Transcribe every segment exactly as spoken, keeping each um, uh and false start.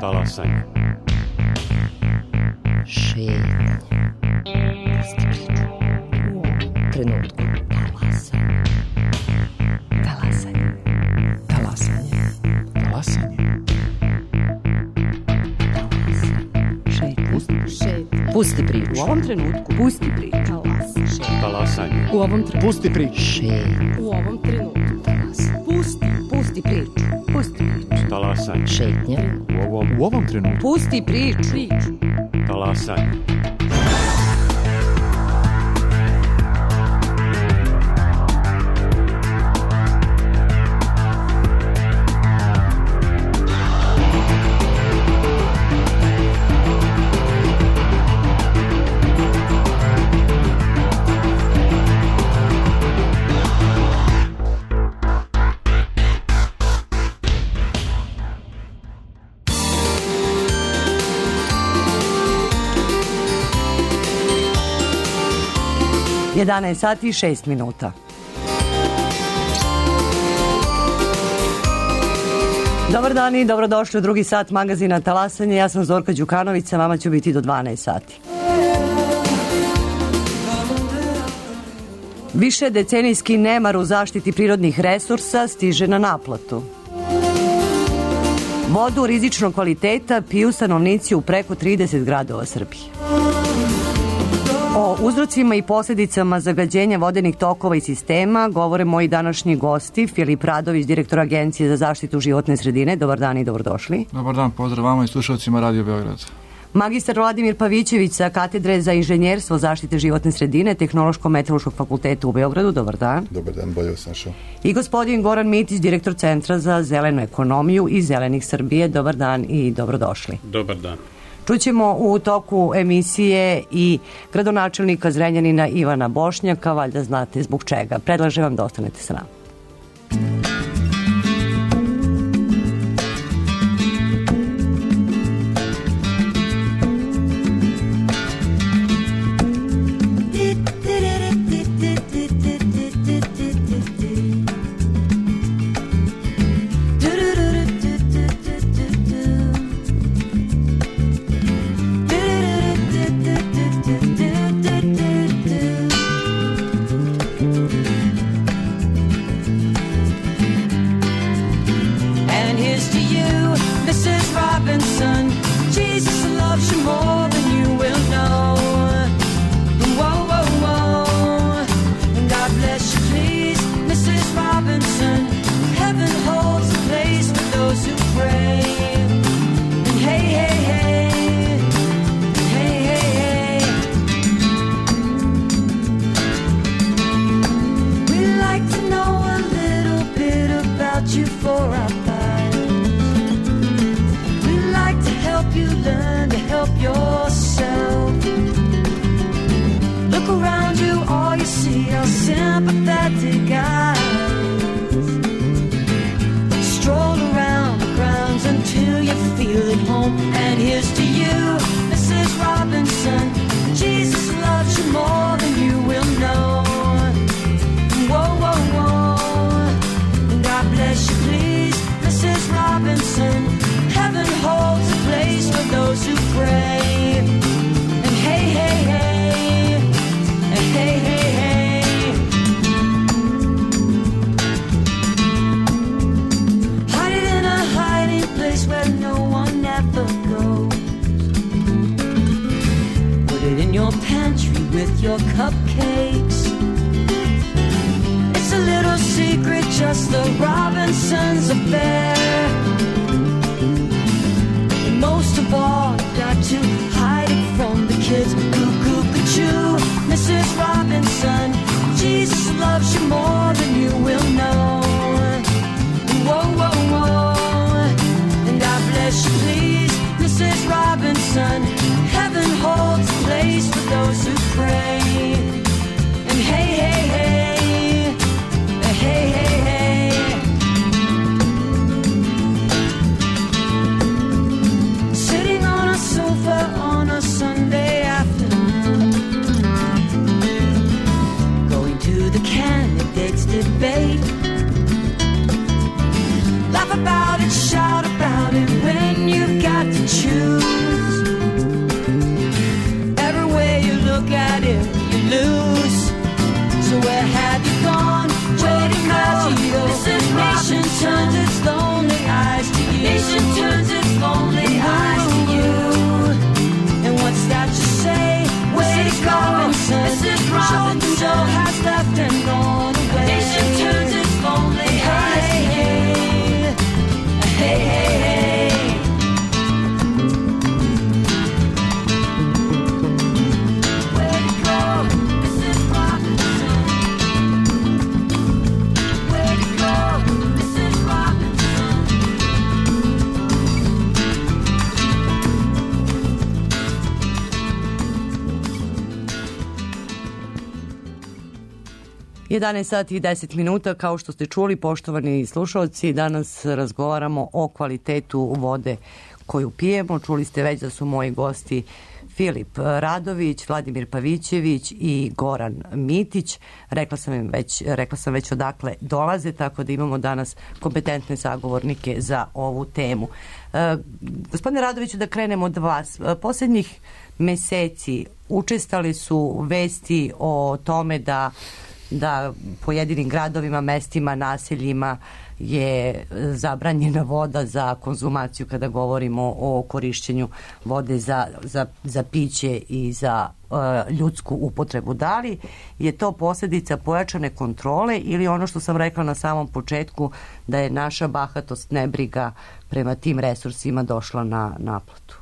Talasanje. Šetnje. Pusti priču. U ovom trenutku. Talasanje. Talasanje. Talasanje. Talasanje. Šetnje. Pusti priču. U ovom trenutku. Pusti priču. Talasanje. U ovom trenutku. Pusti priču. Šetnje. U ovom trenutku. Pusti. Pusti priču. Pusti priču. Talasanje. Šetnje. U ovom, U ovom trenutku. Pusti priču. Priču. talasanje. jedanaest sati i šest minuta. Dobar dan i dobrodošli u drugi sat magazina Talasanje. Ja sam Zorka Đukanović, sa vama ću biti do dvanaest sati. Više decenijski nemar u zaštiti prirodnih resursa stiže na naplatu. Vodu rizičnog kvaliteta piju stanovnici u preko trideset gradova Srbije. O uzrocima i posljedicama zagađenja vodenih tokova i sistema govore moji današnji gosti. Filip Radović, direktor Agencije za zaštitu životne sredine. Dobar dan i dobrodošli. Dobar dan, pozdrav vama i slušalcima Radio Beograd. Magistar Vladimir Pavićević sa Katedre za inženjerstvo zaštite životne sredine Tehnološko-meteorološkog fakulteta u Beogradu. Dobar dan. Dobar dan, bolje vas našao. I gospodin Goran Mitić, direktor Centra za zelenu ekonomiju i Zelenih Srbije. Dobar dan i dobrodošli. Dobar dan. Čućemo u toku emisije i gradonačelnika Zrenjanina Ivana Bošnjaka, valjda znate zbog čega. Predlažem vam da ostanete sa nama. Laugh about it, shout about it when you've got have you gone? Where'd it go? This is nation turns its lonely eyes to you. Nation turns its lonely eyes to you. And what's that you say? Where'd it go? This is Robinson Joe has left and gone away. Nation turns its lonely eyes to you. Hey, hey, hey. Where'd it go? This is Robinson. Where'd it go? This is Robinson. jedanaest sati i deset minuta, kao što ste čuli, poštovani slušalci, danas razgovaramo o kvalitetu vode koju pijemo. Čuli ste već da su moji gosti Filip Radović, Vladimir Pavićević i Goran Mitić. Rekla sam im već, rekla sam već odakle dolaze, tako da imamo danas kompetentne sagovornike za ovu temu. E, gospodine Radoviću, da krenemo od vas. Poslednjih meseci učestali su vesti o tome da da pojedinim gradovima, mestima, naseljima je zabranjena voda za konzumaciju kada govorimo o korišćenju vode za, za, za piće i za uh, ljudsku upotrebu. Da li je to posljedica pojačane kontrole ili ono što sam rekla na samom početku, da je naša bahatost, nebriga prema tim resursima došla na naplatu?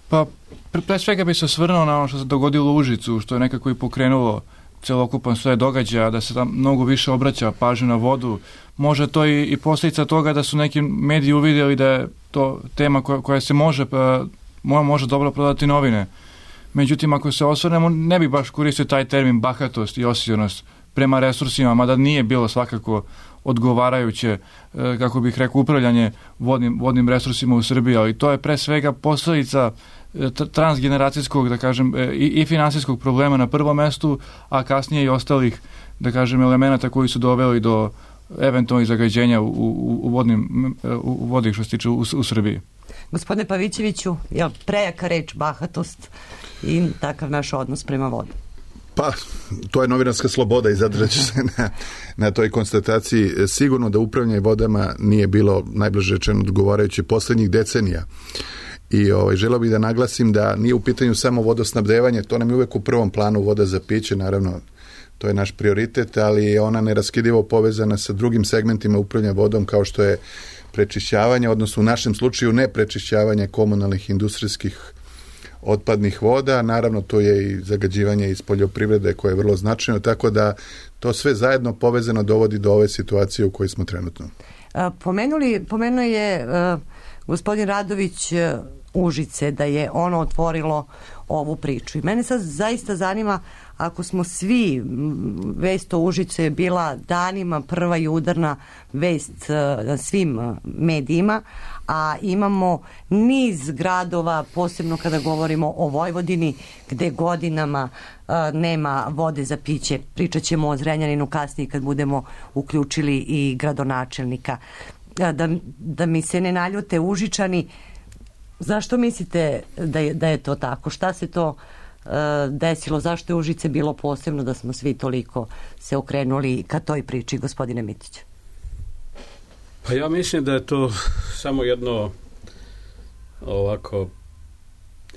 Pa, pre, pre svega bi se osvrnuo na ono što se dogodilo u Užicu, što je nekako i pokrenulo celokupan sve događaja, da se tam mnogo više obraća pažnju na vodu. Može to i, i posljedica toga da su neki mediji uvidjeli da je to tema koja, koja se može, pa, može dobro prodati novine. Međutim, ako se osvrnemo, ne bi baš koristio taj termin bahatost i osjećanost prema resursima, mada nije bilo svakako odgovarajuće, kako bih rekao, upravljanje vodnim, vodnim resursima u Srbiji, ali to je pre svega posljedica transgeneracijskog, da kažem, i, i finansijskog problema na prvom mestu, a kasnije i ostalih, da kažem, elemenata koji su doveli do eventualnih zagađenja u, u, u, vodnim, u vodi što se tiče u, u Srbiji. Gospodine Pavićeviću, je li prejaka reč bahatost i takav naš odnos prema vodi? Pa, to je novinarska sloboda i zadržat ću se na, na toj konstataciji. Sigurno da upravljanje vodama nije bilo, najbliže rečeno, odgovarajuće posljednjih decenija. I ovaj, želeo bih da naglasim da nije u pitanju samo vodosnabdevanje, to nam je uvek u prvom planu, voda za piće, naravno, to je naš prioritet, ali je ona neraskidivo povezana sa drugim segmentima upravljanja vodom, kao što je prečišćavanje, odnosno u našem slučaju ne prečišćavanje komunalnih industrijskih otpadnih voda, naravno to je i zagađivanje iz poljoprivrede koje je vrlo značajno, tako da to sve zajedno povezano dovodi do ove situacije u kojoj smo trenutno. Pomenuli, pomenuo je uh, gospodin Radović uh, Užice, da je ono otvorilo ovu priču. I mene sad zaista zanima, ako smo svi, vest o Užice je bila danima prva i udarna vest na svim medijima, a imamo niz gradova, posebno kada govorimo o Vojvodini, gde godinama uh, nema vode za piće. Pričat ćemo o Zrenjaninu kasnije kad budemo uključili i gradonačelnika. Uh, da, da mi se ne naljute Užičani, zašto mislite da je, da je to tako? Šta se to uh, desilo? Zašto je Užice bilo posebno da smo svi toliko se okrenuli ka toj priči, gospodine Mitić? Pa ja mislim da je to samo jedno ovako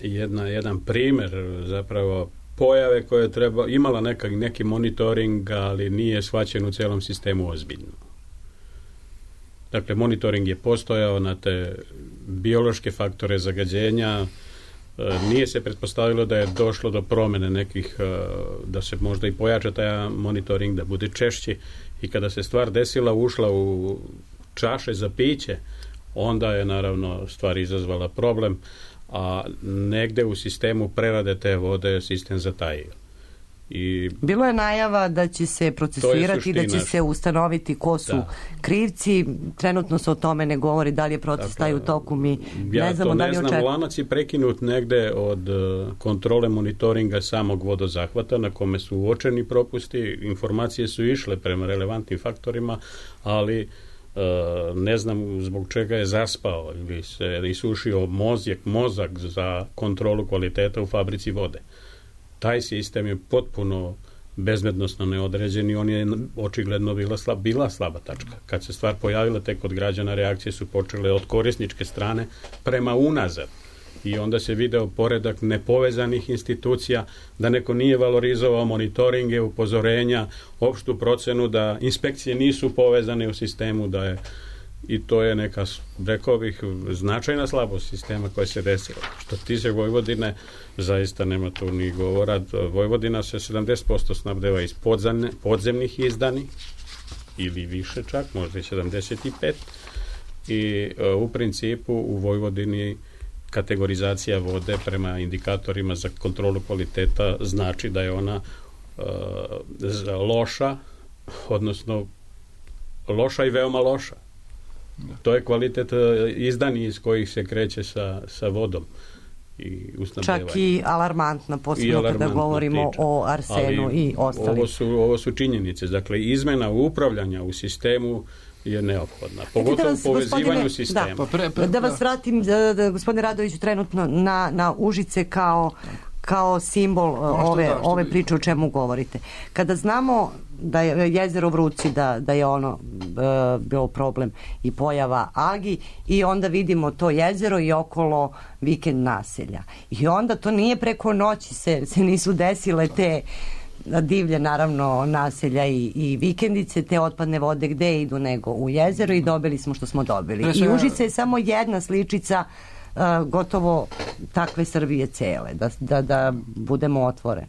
jedna, jedan primjer zapravo pojave koje je treba, imala neka, neki monitoring, ali nije shvaćen u cijelom sistemu ozbiljno. Dakle, monitoring je postojao na te biološke faktore zagađenja, nije se pretpostavilo da je došlo do promjene nekih, da se možda i pojača taj monitoring, da bude češći, i kada se stvar desila, ušla u čaše za piće, onda je naravno stvar izazvala problem, a negde u sistemu prerade te vode sistem zatajio. I bilo je najava da će se procesuirati i da će se ustanoviti ko su da. krivci. Trenutno se o tome ne govori, da li je proces taj u toku, mi ja ne znamo. Ja da to ne znam, lanac je prekinut negde od uh, kontrole monitoringa samog vodozahvata na kome su uočeni propusti, informacije su išle prema relevantnim faktorima, ali uh, ne znam zbog čega je zaspao ili se isušio mozak, mozak za kontrolu kvaliteta u fabrici vode. Taj sistem je potpuno bezbednosno neodređen i on je očigledno bila, slab, bila slaba tačka. Kad se stvar pojavila tek kod građana, reakcije su počele od korisničke strane prema unazad. I onda se video poredak nepovezanih institucija, da neko nije valorizovao monitoringe, upozorenja, opštu procenu, da inspekcije nisu povezane u sistemu, da je, i to je neka, rekao bih, značajna slabost sistema koja se desila. Što tiče Vojvodine, zaista nema tu ni govora. Vojvodina se sedamdeset posto snabdeva iz podzemne, podzemnih izdani, ili više čak, možda i sedamdeset pet, i uh, u principu u Vojvodini kategorizacija vode prema indikatorima za kontrolu kvaliteta znači da je ona uh, loša, odnosno loša i veoma loša. To je kvalitet uh, izdani iz kojih se kreće sa, sa vodom i usnabdevanjem. Čak i alarmantna, posebno kada govorimo priča. O arsenu ali i ostalim. Ovo su, ovo su činjenice. Dakle, izmena upravljanja u sistemu je neophodna. Pogotovo u povezivanju sistema. Da, pa pre, pre, da vas vratim, da, da, gospodine Radoviću, trenutno na, na Užice kao, kao simbol ove, da, ove priče o čemu govorite. Kada znamo da je jezero Vruci, da, da je ono e, bio problem i pojava algi i onda vidimo to jezero i okolo vikend naselja. I onda to nije preko noći se, se nisu desile te divlje naravno naselja i, i vikendice, te otpadne vode gde idu nego u jezero i dobili smo što smo dobili. I Užice je samo jedna sličica uh, gotovo takve Srbije cele, da, da, da budemo otvoreni.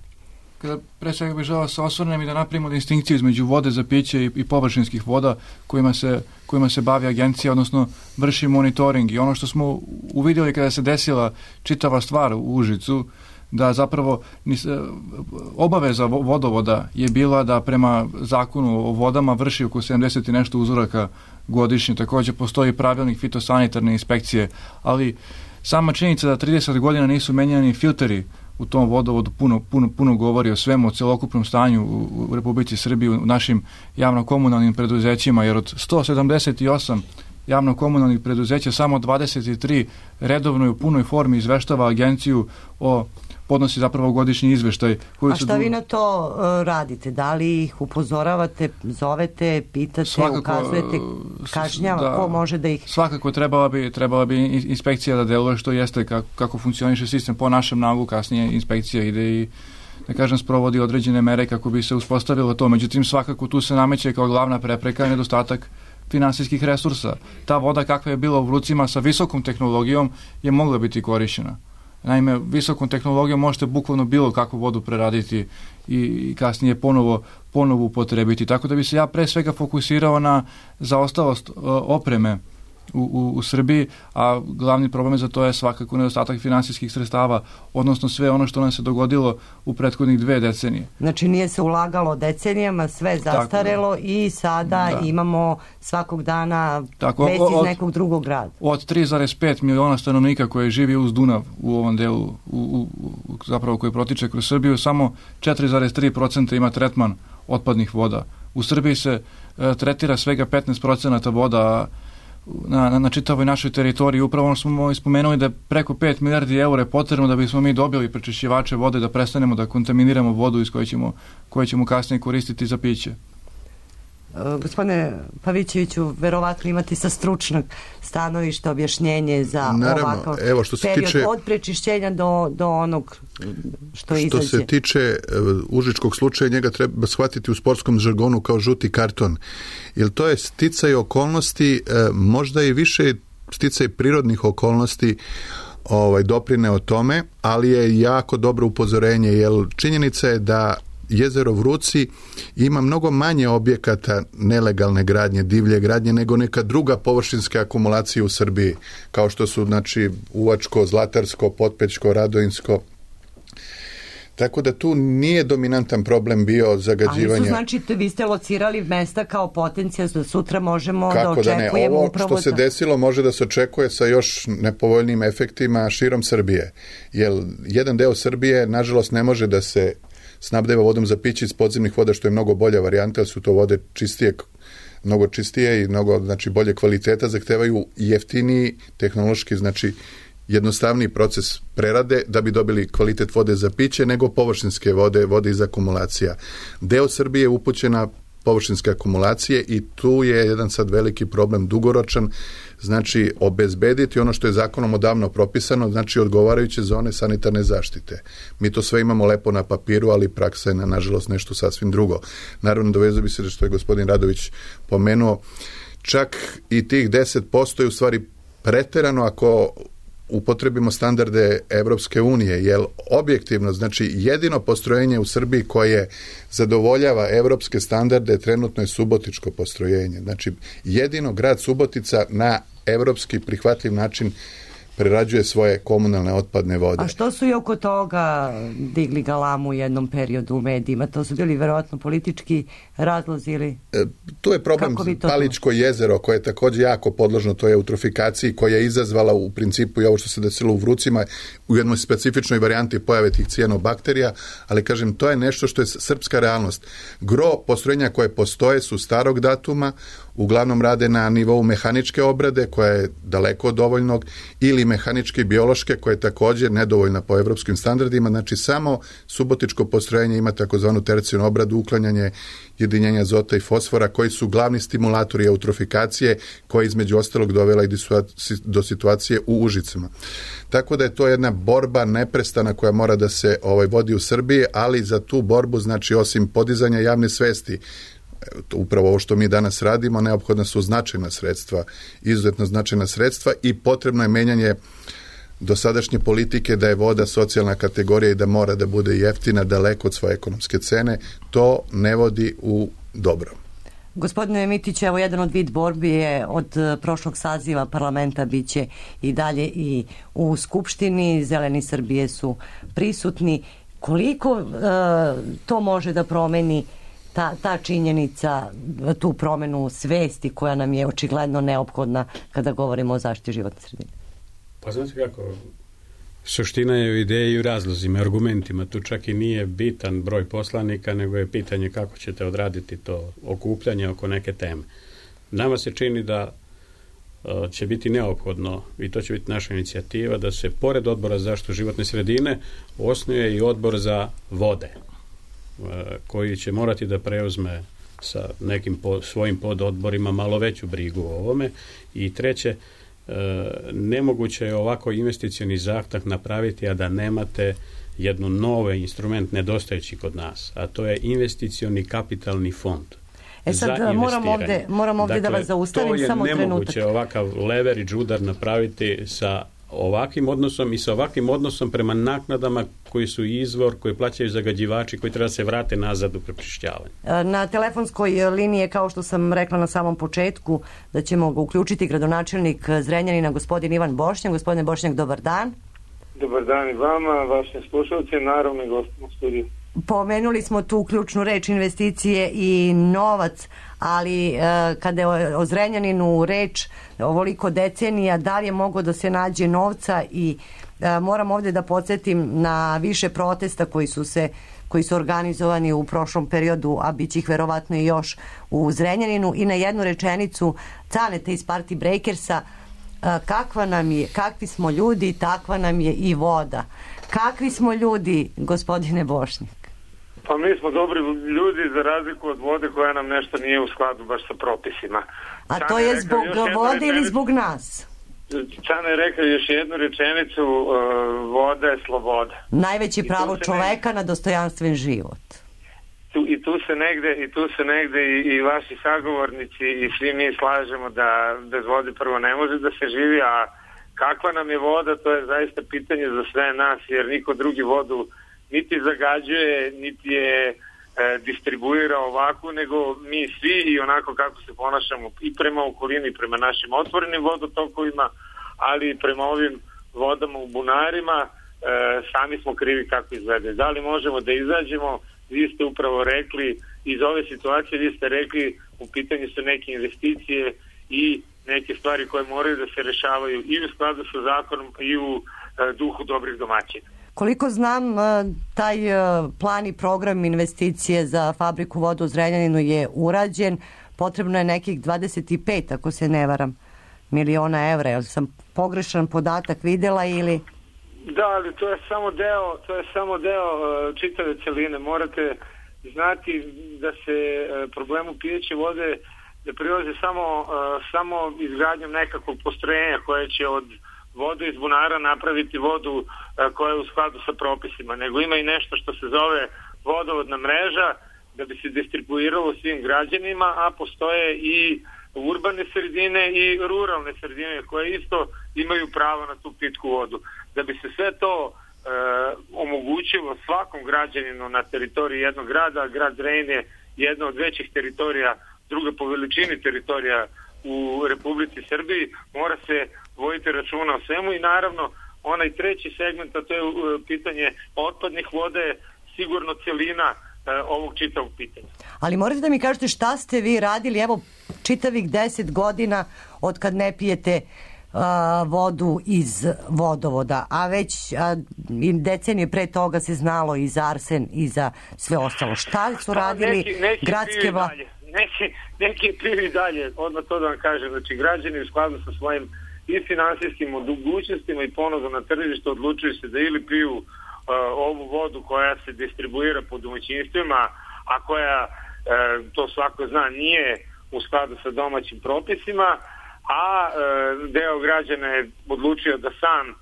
Kada pre svega bih želeo se osvrnem i da napravimo distinkciju između vode za piće i, i površinskih voda kojima se, kojima se bavi agencija, odnosno vrši monitoring. I ono što smo uvidjeli kada se desila čitava stvar u Užicu, da zapravo obaveza vodovoda je bila da prema zakonu o vodama vrši oko sedamdeset i nešto uzoraka godišnje. Također postoji pravilnik fitosanitarne inspekcije, ali sama činjenica da trideset godina nisu menjani filteri u tom vodovodu puno, puno, puno govori o svemu, o celokupnom stanju u, u Republici Srbiji, u našim javno-komunalnim preduzećima, jer od sto sedamdeset osam javno-komunalnih preduzeća samo dvadeset tri redovno i u punoj formi izveštava agenciju o podnosi zapravo godišnji izveštaj. Koji A šta su... vi na to uh, radite? Da li ih upozoravate, zovete, pitate, svakako, ukazujete, kažnjava, da, ko može da ih... Svakako trebala bi, trebala bi inspekcija da deluje što jeste, kako, kako funkcioniše sistem. Po našem nalogu kasnije inspekcija ide i, da kažem, sprovodi određene mere kako bi se uspostavilo to. Međutim, svakako tu se nameće kao glavna prepreka nedostatak finansijskih resursa. Ta voda kakva je bila u Vrucima sa visokom tehnologijom je mogla biti korišćena. Naime, visokom tehnologijom možete bukvalno bilo kakvu vodu preraditi i, i kasnije ponovo, ponovo upotrebiti. Tako da bi se ja pre svega fokusirao na zaostalost uh, opreme u, u, u Srbiji, a glavni problem za to je svakako nedostatak finansijskih sredstava, odnosno sve ono što nam se dogodilo u prethodnih dve decenije. Znači nije se ulagalo decenijama, sve zastarelo tako, i sada da. Imamo svakog dana tako, već iz nekog drugog grada. Od tri zarez pet miliona stanovnika koje živi uz Dunav u ovom delu, u, u, u, zapravo koji protiče kroz Srbiju, samo četiri zarez tri posto ima tretman otpadnih voda. U Srbiji se e, tretira svega petnaest posto voda Na, na, na čitavoj našoj teritoriji. Upravo smo ispomenuli da preko pet milijardi eura je potrebno da bismo mi dobili prečišćivače vode, da prestanemo da kontaminiramo vodu iz koje ćemo, koje ćemo kasnije koristiti za piće. Uh, gospodine Pavićeviću, verovatno imate sa stručnog stanovišta objašnjenje za Naravno, ovakav evo, što se period tiče, od prečišćenja do, do onog što izađe. Što se tiče uh, užičkog slučaja, njega treba shvatiti u sportskom žargonu kao žuti karton. Jer to je sticaj okolnosti, uh, možda i više sticaj prirodnih okolnosti ovaj, doprine o tome, ali je jako dobro upozorenje, jer činjenica je da jezero Vruci ima mnogo manje objekata nelegalne gradnje, divlje gradnje, nego neka druga površinska akumulacija u Srbiji, kao što su, znači, Uvačko, Zlatarsko, Potpećko, Radojinsko. Tako da tu nije dominantan problem bio zagađivanje. Ali su, znači, vi ste locirali mesta kao potencijal da sutra možemo Kako da očekujemo da ne, ovo upravo... što se desilo može da se očekuje sa još nepovoljnim efektima širom Srbije. Jer jedan deo Srbije, nažalost, ne može da se snabdeva vodom za piće iz podzemnih voda, što je mnogo bolja varijanta, jer su to vode čistije, mnogo čistije i mnogo, znači, bolje kvaliteta, zahtevaju jeftiniji tehnološki, znači, jednostavniji proces prerade da bi dobili kvalitet vode za piće nego površinske vode, vode iz akumulacija. Deo Srbije je upućen na površinske akumulacije i tu je jedan sad veliki problem dugoročan, znači obezbediti ono što je zakonom odavno propisano, znači odgovarajuće zone sanitarne zaštite. Mi to sve imamo lepo na papiru, ali praksa je na, nažalost nešto sasvim drugo. Naravno, dovezao bi se što je gospodin Radović pomenuo, čak i tih deset posto je u stvari preterano ako upotrebimo standarde Evropske unije, jer objektivno, znači jedino postrojenje u Srbiji koje zadovoljava evropske standarde trenutno je subotičko postrojenje. Znači jedino grad Subotica na evropski prihvatljiv način prerađuje svoje komunalne otpadne vode. A što su i oko toga digli galamu u jednom periodu u medijima? To su bili verovatno politički razlozi ili... E, tu je problem Paličko jezero koje je također jako podložno toj eutrofikaciji koja je izazvala u principu i ovo što se desilo u Vrucima u jednoj specifičnoj varijanti pojave tih cijanobakterija, ali kažem to je nešto što je srpska realnost. Gro postrojenja koje postoje su starog datuma, uglavnom rade na nivou mehaničke obrade koja je daleko od dovoljnog ili mehaničke i biološke koja je također nedovoljna po evropskim standardima, znači samo subotičko postrojenje ima takozvanu tercijarnu obradu, uklanjanje jedinjenja azota i fosfora koji su glavni stimulatori eutrofikacije koja između ostalog dovela i do situacije u Užicama. Tako da je to jedna borba neprestana koja mora da se ovaj, vodi u Srbiji, ali za tu borbu znači osim podizanja javne svesti, upravo ovo što mi danas radimo, neophodna su značajna sredstva, izuzetno značajna sredstva i potrebno je menjanje dosadašnje politike da je voda socijalna kategorija i da mora da bude jeftina daleko od svoje ekonomske cene. To ne vodi u dobro. Gospodine Mitić, evo jedan od vid borbi je od prošlog saziva parlamenta biće i dalje i u Skupštini. Zeleni Srbije su prisutni. Koliko uh, to može da promeni Ta, ta činjenica, tu promenu svesti koja nam je očigledno neophodna kada govorimo o zaštiti životne sredine? Pa znate kako, suština je u ideji i u razlozima, argumentima. Tu čak i nije bitan broj poslanika, nego je pitanje kako ćete odraditi to okupljanje oko neke teme. Nama se čini da uh, će biti neophodno, i to će biti naša inicijativa, da se pored odbora za zaštitu životne sredine osnuje i odbor za vode, koji će morati da preuzme sa nekim po, svojim pododborima malo veću brigu o ovome. I treće, e, nemoguće je ovako investicioni zahtjev napraviti, a da nemate jednu nove instrument nedostajući kod nas, a to je investicioni kapitalni fond. E sad moram ovdje, moram ovdje dakle, da vas zaustavim samo trenutak. To je nemoguće ovakav leverage udar napraviti sa ovakvim odnosom i sa ovakvim odnosom prema naknadama koji su izvor, koji plaćaju zagađivači, koji treba se vrate nazad u prečišćavanje. Na telefonskoj liniji je, kao što sam rekla na samom početku, da ćemo ga uključiti gradonačelnik Zrenjanina, gospodin Ivan Bošnjak. Gospodine Bošnjak, dobar dan. Dobar dan i vama, vašim slušalcima, naravno i gostima u studiju. Pomenuli smo tu ključnu reč investicije i novac, ali e, kada je o Zrenjaninu reč ovoliko decenija, da li je moglo da se nađe novca i e, moram ovdje da podsjetim na više protesta koji su se koji su organizovani u prošlom periodu, a bit će ih verovatno i još u Zrenjaninu, i na jednu rečenicu Caneta iz Party Breakersa: kakva nam je, kakvi smo ljudi, takva nam je i voda. Kakvi smo ljudi, gospodine Bošnjak? Pa mi smo dobri ljudi za razliku od vode koja nam nešto nije u skladu baš sa propisima. A Čane to je zbog vode ili zbog nas? Čane je rekao još jednu rečenicu, uh, voda je sloboda. Najveće pravo čoveka ne... na dostojanstven život. Tu, I tu se negde, i tu se negde i, i vaši sagovornici i svi mi slažemo da bez vode prvo ne može da se živi, a kakva nam je voda, to je zaista pitanje za sve nas, jer niko drugi vodu niti zagađuje, niti je e, distribuira ovako, nego mi svi i onako kako se ponašamo i prema okolini, i prema našim otvorenim vodotokovima, ali i prema ovim vodama u bunarima, e, sami smo krivi kako izglede. Da li možemo da izađemo? Vi ste upravo rekli, iz ove situacije vi ste rekli, u pitanju su neke investicije i neke stvari koje moraju da se rešavaju i u skladu sa zakonom i u e, duhu dobrih domaćina. Koliko znam, taj plan i program investicije za fabriku vode u Zrenjaninu je urađen. Potrebno je nekih dvadeset pet, ako se ne varam, miliona evra. Jel sam pogrešan podatak videla ili... Da, ali to je samo deo, to je samo deo uh, čitave celine. Morate znati da se uh, problemu pijeće vode ne prilazi samo, uh, samo izgradnjom nekakvog postrojenja koje će od vodu iz bunara napraviti vodu uh, koja je u skladu sa propisima, nego ima i nešto što se zove vodovodna mreža da bi se distribuiralo svim građanima, a postoje i urbane sredine i ruralne sredine koje isto imaju pravo na tu pitku vodu. Da bi se sve to e, omogućilo svakom građaninu na teritoriji jednog grada, grad Zrenjanin je jedna od većih teritorija, druga po veličini teritorija u Republici Srbiji, mora se voditi računa o svemu i naravno onaj treći segment, a to je e, pitanje otpadnih vode, sigurno celina ovog čitavog pitanja. Ali morate da mi kažete šta ste vi radili, evo, čitavih deset godina od kad ne pijete a, vodu iz vodovoda, a već a, decenije pre toga se znalo i za arsen i za sve ostalo. Šta su radili neki, neki gradske vlasti? Neki, neki piju i dalje, odmah to da vam kažem, znači građani u skladu sa svojim i finansijskim mogućnostima i ponudom na tržištu odlučuju se da ili piju Uh, ovu vodu koja se distribuira po domaćinstvima, a koja, uh, to svako zna, nije u skladu sa domaćim propisima, a uh, deo građana je odlučio da sam uh,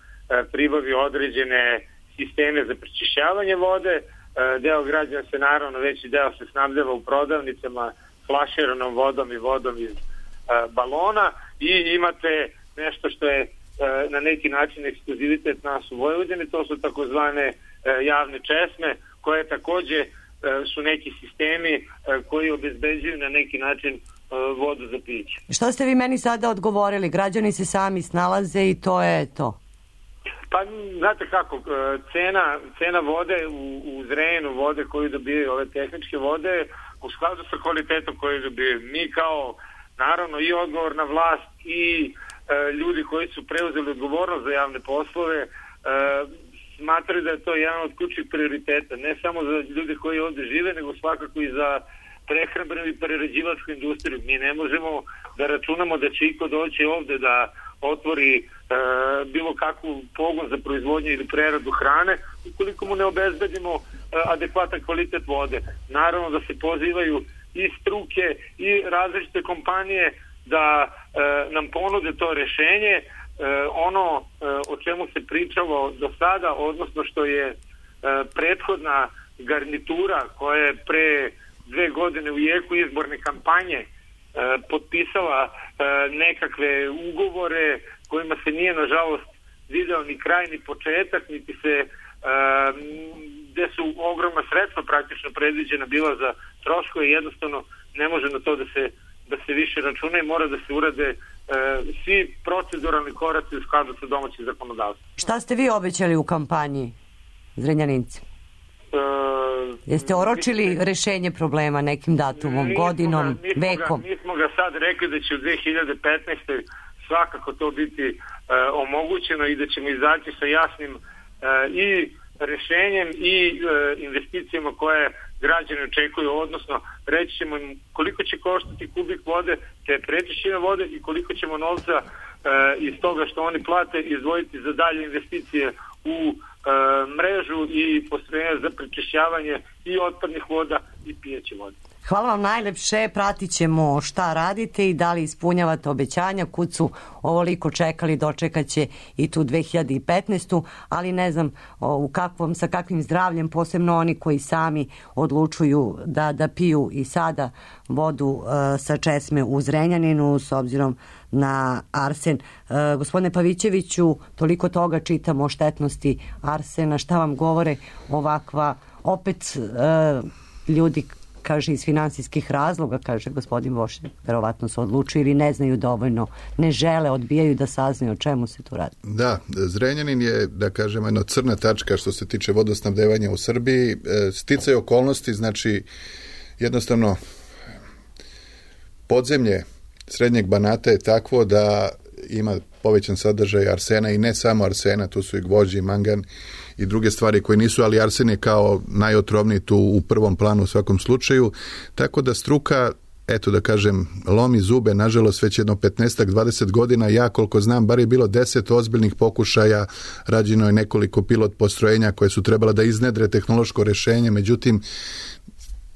pribavi određene sisteme za prečišćavanje vode, uh, deo građana se naravno, veći deo se snabdeva u prodavnicama flaširanom vodom i vodom iz uh, balona i imate nešto što je na neki način ekskluzivitet nas u Vojvodini, to su takozvane javne česme, koje takođe su neki sistemi koji obezbeđuju na neki način vodu za piće. Šta ste vi meni sada odgovorili? Građani se sami snalaze i to je to? Pa, znate kako, cena, cena vode u, u Zrenjaninu, vode koju dobijaju ove tehničke vode, u skladu sa kvalitetom koju dobijaju. Mi kao, naravno, i odgovorna vlast i ljudi koji su preuzeli odgovornost za javne poslove e, smatraju da je to jedan od ključnih prioriteta, ne samo za ljude koji ovde žive, nego svakako i za prehrambenu i prerađivačku industriju. Mi ne možemo da računamo da će iko doći ovde da otvori e, bilo kakvu pogon za proizvodnju ili preradu hrane, ukoliko mu ne obezbedimo e, adekvatan kvalitet vode. Naravno da se pozivaju i struke i različite kompanije da e, nam ponude to rešenje. E, ono e, o čemu se pričalo do sada, odnosno što je e, prethodna garnitura koja je pre dve godine u jeku izborne kampanje e, potpisala e, nekakve ugovore kojima se nije nažalost video ni kraj ni početak, niti se e, gde su ogromna sredstva praktično predviđena bila za troškove, jednostavno ne može na to da se da se više računa i mora da se urade e, svi proceduralni koraci u skladu sa domaćim zakonodavstvom. Šta ste vi obećali u kampanji, Zrenjaninci? E, Jeste oročili mi, rešenje problema nekim datumom, godinom, ga, mi vekom? Ga, mi smo ga sad rekli da će u dve hiljade petnaestoj svakako to biti e, omogućeno i da ćemo izaći sa jasnim e, i rešenjem i e, investicijama koje građani očekuju, odnosno reći ćemo im koliko će koštati kubik vode, te prečišćene vode i koliko ćemo novca e, iz toga što oni plate izdvojiti za dalje investicije u e, mrežu i postrojenja za prečišćavanje i otpadnih voda i pijeće vode. Hvala vam najlepše, pratit ćemo šta radite i da li ispunjavate obećanja. Kud su ovoliko čekali, dočekat će i tu dve hiljade petnaestu. ali ne znam o, u kakvom, sa kakvim zdravljem, posebno oni koji sami odlučuju da, da piju i sada vodu e, sa česme u Zrenjaninu s obzirom na arsen. E, gospodine Pavićeviću, toliko toga čitamo o štetnosti arsena, šta vam govore ovakva, opet e, ljudi kaže iz finansijskih razloga, kaže gospodin Vošer, verovatno se odlučuju ili ne znaju dovoljno, ne žele, odbijaju da saznaju o čemu se tu radi. Da, Zrenjanin je, da kažemo, jedna crna tačka što se tiče vodosnabdevanja u Srbiji. Sticaj okolnosti, znači jednostavno podzemlje Srednjeg Banata je takvo da ima povećan sadržaj arsena i ne samo arsena, tu su i gvožđe i mangan i druge stvari koje nisu, ali arsen je kao najotrovniji tu u prvom planu u svakom slučaju, tako da struka eto da kažem, lomi zube, nažalost već jedno petnaest dvadeset godina, ja koliko znam, bar je bilo deset ozbiljnih pokušaja, rađeno je nekoliko pilot postrojenja koje su trebala da iznedre tehnološko rešenje, međutim,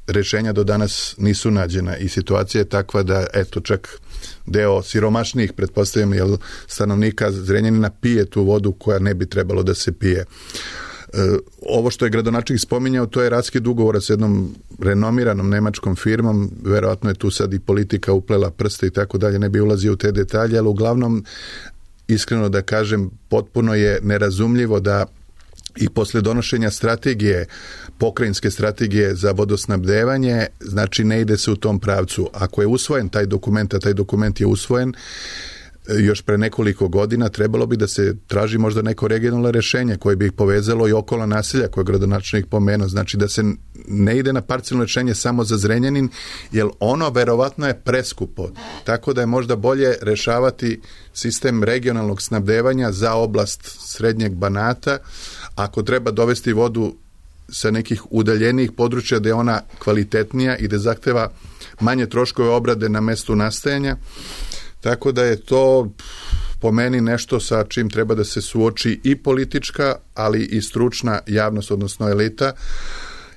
rešenja do danas nisu nađena i situacija je takva da, eto, čak deo siromašnijih, pretpostavljam, jel, stanovnika Zrenjanina pije tu vodu koja ne bi trebalo da se pije. E, ovo što je gradonačelnik spominjao, to je raskid ugovora s jednom renomiranom nemačkom firmom, verovatno je tu sad i politika uplela prste i tako dalje, ne bi ulazio u te detalje, ali uglavnom, iskreno da kažem, potpuno je nerazumljivo da i posle donošenja strategije, pokrajinske strategije za vodosnabdevanje, znači ne ide se u tom pravcu. Ako je usvojen taj dokument, a taj dokument je usvojen još pre nekoliko godina, trebalo bi da se traži možda neko regionalno rešenje koje bi ih povezalo i okolo naselja koje je gradonačelnik pomenuo. Znači da se ne ide na parcijalno rešenje samo za Zrenjanin, jer ono verovatno je preskupo. Tako da je možda bolje rešavati sistem regionalnog snabdevanja za oblast srednjeg Banata. Ako treba dovesti vodu sa nekih udaljenijih područja gde je ona kvalitetnija i da zahteva manje troškove obrade na mestu nastajanja. Tako da je to po meni nešto sa čim treba da se suoči i politička, ali i stručna javnost, odnosno elita,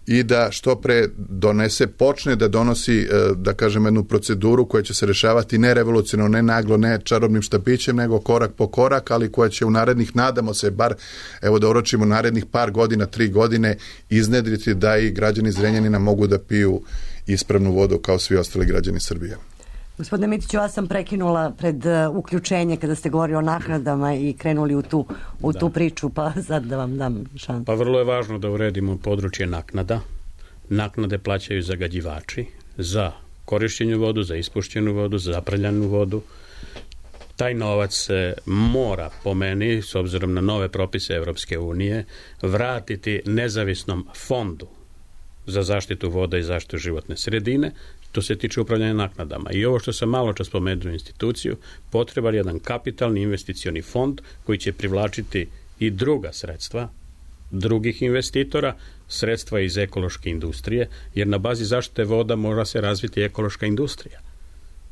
i da što pre donese, počne da donosi, da kažem, jednu proceduru koja će se rešavati ne revolucionarno, ne naglo, ne čarobnim štapićem, nego korak po korak, ali koja će u narednih, nadamo se, bar, evo da oročimo, narednih par godina, tri godine, iznedriti da i građani Zrenjanina mogu da piju ispravnu vodu kao svi ostali građani Srbije. Gospodine Mitiću, ja sam prekinula pred uh, uključenje kada ste govorili o naknadama i krenuli u tu, u tu priču, pa sad da vam dam šansu. Pa vrlo je važno da uredimo područje naknada. Naknade plaćaju zagađivači za korišćenju vodu, za ispuštenu vodu, za zaprljanu vodu. Taj novac se mora, po meni, s obzirom na nove propise Evropske unije, vratiti nezavisnom fondu za zaštitu voda i zaštitu životne sredine. To se tiče upravljanja naknadama. I ovo što sam malo čas spomenuo instituciju, potreban jedan kapitalni investicioni fond koji će privlačiti i druga sredstva, drugih investitora, sredstva iz ekološke industrije, jer na bazi zaštite voda mora se razviti ekološka industrija.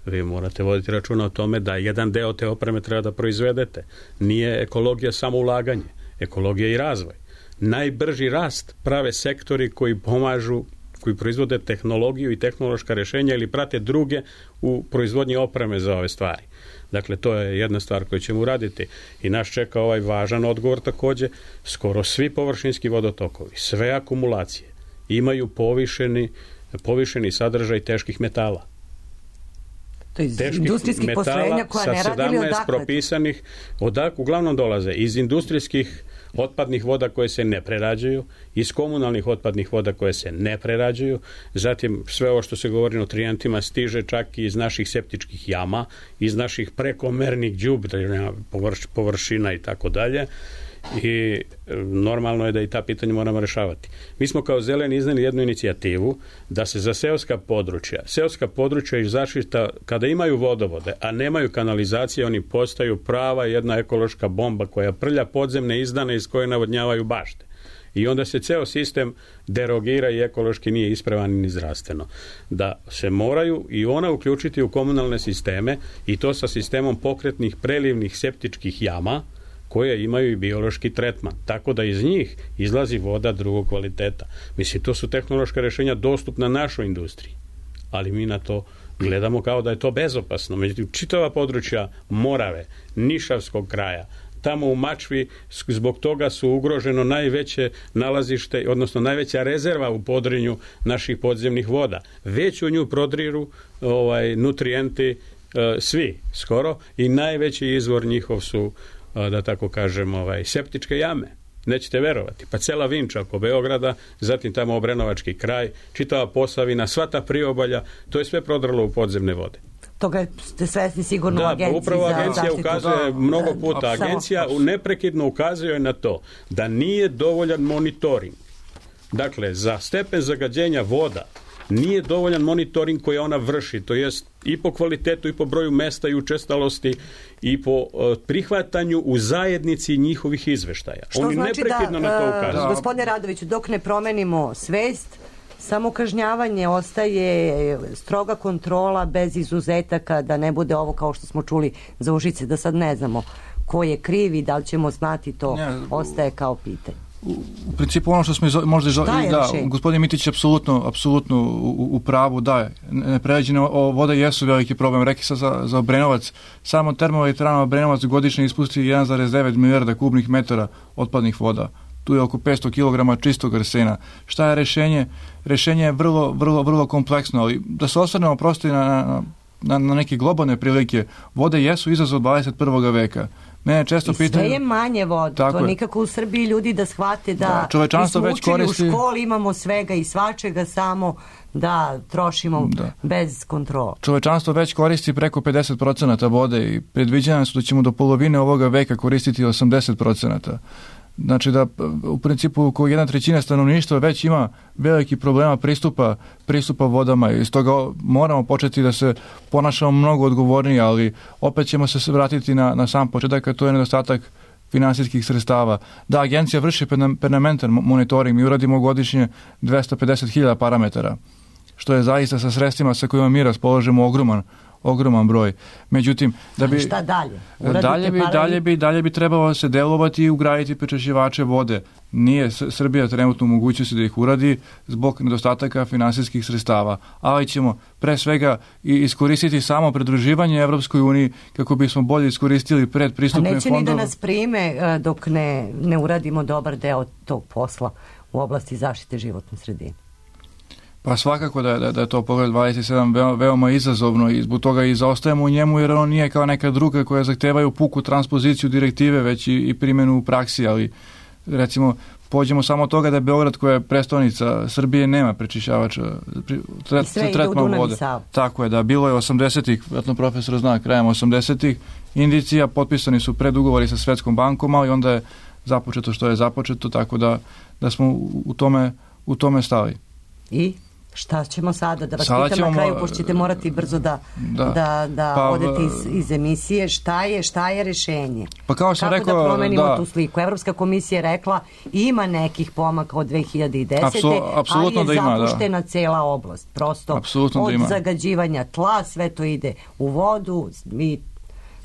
Vi morate voditi računa o tome da jedan deo te opreme treba da proizvedete. Nije ekologija samo ulaganje, ekologija i razvoj. Najbrži rast prave sektori koji pomažu, koji proizvode tehnologiju i tehnološka rešenja ili prate druge u proizvodnji opreme za ove stvari. Dakle, to je jedna stvar koju ćemo uraditi i nas čeka ovaj važan odgovor takođe. Skoro svi površinski vodotokovi, sve akumulacije imaju povišeni, povišeni sadržaj teških metala. To je iz industrijskih postrojenja koja ne radi ili odakle? Propisanih, odak uglavnom dolaze iz industrijskih otpadnih voda koje se ne prerađuju, iz komunalnih otpadnih voda koje se ne prerađuju, zatim sve ovo što se govori o nutrijentima stiže čak i iz naših septičkih jama, iz naših prekomernih đubreva, površina i tako dalje. I normalno je da i ta pitanja moramo rešavati. Mi smo kao Zeleni izneli jednu inicijativu da se za seoska područja, seoska područja iz zaštita, kada imaju vodovode, a nemaju kanalizacije, oni postaju prava jedna ekološka bomba koja prlja podzemne izdane iz koje navodnjavaju bašte. I onda se ceo sistem derogira i ekološki nije ispravan ni zdravstveno. Da se moraju i ona uključiti u komunalne sisteme i to sa sistemom pokretnih prelivnih septičkih jama, koje imaju i biološki tretman, tako da iz njih izlazi voda drugog kvaliteta. Mislim, to su tehnološka rešenja dostupna našoj industriji, ali mi na to gledamo kao da je to bezopasno. Međutim, čitava područja Morave, Nišavskog kraja, tamo u Mačvi, zbog toga su ugroženo najveće nalazište, odnosno najveća rezerva u Podrinju naših podzemnih voda. Već u nju prodriru ovaj, nutrijenti e, svi skoro i najveći izvor njihov su, da tako kažem, ovaj, septičke jame. Nećete verovati. Pa cela Vinča oko Beograda, zatim tamo Obrenovački kraj, čitava Posavina, sva ta priobalja, to je sve prodralo u podzemne vode. Toga ste svesni sigurno da, u agenciji. Da, upravo agencija ukazuje do... mnogo puta. Agencija neprekidno ukazuje na to da nije dovoljan monitoring. Dakle, za stepen zagađenja voda nije dovoljan monitoring koji ona vrši, to jest i po kvalitetu i po broju mesta i učestalosti i po uh, prihvatanju u zajednici njihovih izveštaja. Što Oni znači neprekidno da, na to ukazuju. Uh, gospodine Radoviću, dok ne promenimo svest, samo kažnjavanje, ostaje stroga kontrola bez izuzetaka, da ne bude ovo kao što smo čuli za Užice, da sad ne znamo ko je kriv i da li ćemo znati, to Ne, ostaje kao pitanje. U principu ono što smo izo, možda izo, Šta je da, rešenje? gospodin Mitić je apsolutno, apsolutno u, u pravu, da, neprerađene vode jesu veliki problem. Reki sad za, za Obrenovac, samo termoelektrana Obrenovac godišnje ispusti jedan zarez devet milijarda kubnih metara otpadnih voda. Tu je oko petsto kilograma čistog arsena. Šta je rešenje? Rešenje je vrlo, vrlo, vrlo kompleksno, ali da se osvrnemo prosto i na, na, na, na neke globalne prilike, vode jesu izazov dvadeset prvog veka. Mene često I sve pitaju... je manje vode, Tako to je. nikako u Srbiji ljudi da shvate da, Da, čovečanstvo mi smo već učili koristi- u školi, imamo svega i svačega, samo da trošimo Da. bez kontrola. Čovečanstvo već koristi preko pedeset procenata vode i predviđanja su da ćemo do polovine ovoga veka koristiti osamdeset procenata. Znači da u principu ko jedna trećina stanovništva već ima veliki problema pristupa, pristupa vodama i stoga moramo početi da se ponašamo mnogo odgovornije, ali opet ćemo se vratiti na, na sam početak, a to je nedostatak finansijskih sredstava. Da, agencija vrši permanentan monitoring, mi uradimo godišnje dvesta pedeset hiljada parametara, što je zaista sa sredstvima sa kojima mi raspolažemo ogroman ogroman broj. Međutim, da bi Ali šta dalje? Uradite dalje bi, paralel- dalje bi dalje bi trebalo se delovati i ugraditi prečišćivače vode. Nije S- Srbija trenutno u mogućnosti da ih uradi zbog nedostataka finansijskih sredstava, ali ćemo pre svega i iskoristiti samo pridruživanje Evropskoj uniji kako bismo bolje iskoristili Pa predpristupne neće ni da fondove. nas prime e, dok ne, ne uradimo dobar deo tog posla u oblasti zaštite životne sredine. Pa svakako da, je- da, da je to pogled dvadeset sedam veoma, veoma izazovno i zbog toga i zaostajemo u njemu jer on nije kao neka druga koja zahtevaju puku transpoziciju direktive već i, i primjenu u praksi, ali recimo pođemo samo od toga da Beograd koja je prestonica Srbije nema prečišćavača pri- tret, I sve ide u tretman Dunav i vode. Savu. Tako je, da, bilo je osamdesetih, vjerojatno profesor zna, krajem osamdesetih indicija, potpisani su predugovori sa Svetskom bankom, ali onda je započeto što je započeto, tako da, da smo u, u tome, u tome stali. I šta ćemo sada? Da vas Sada pitam ćemo na kraju, mo- pošto ćete morati brzo da, Da. da, da Pa, odete iz, iz emisije. Šta je, šta je rešenje? Pa kao sam Kako rekao, da promenimo da. tu sliku? Evropska komisija je rekla ima nekih pomaka od dve hiljade desete. Apsolu- apsolutno ali je da ima, da. zapuštena cela oblast. Prosto Apsolutno da od ima. zagađivanja tla, sve to ide u vodu i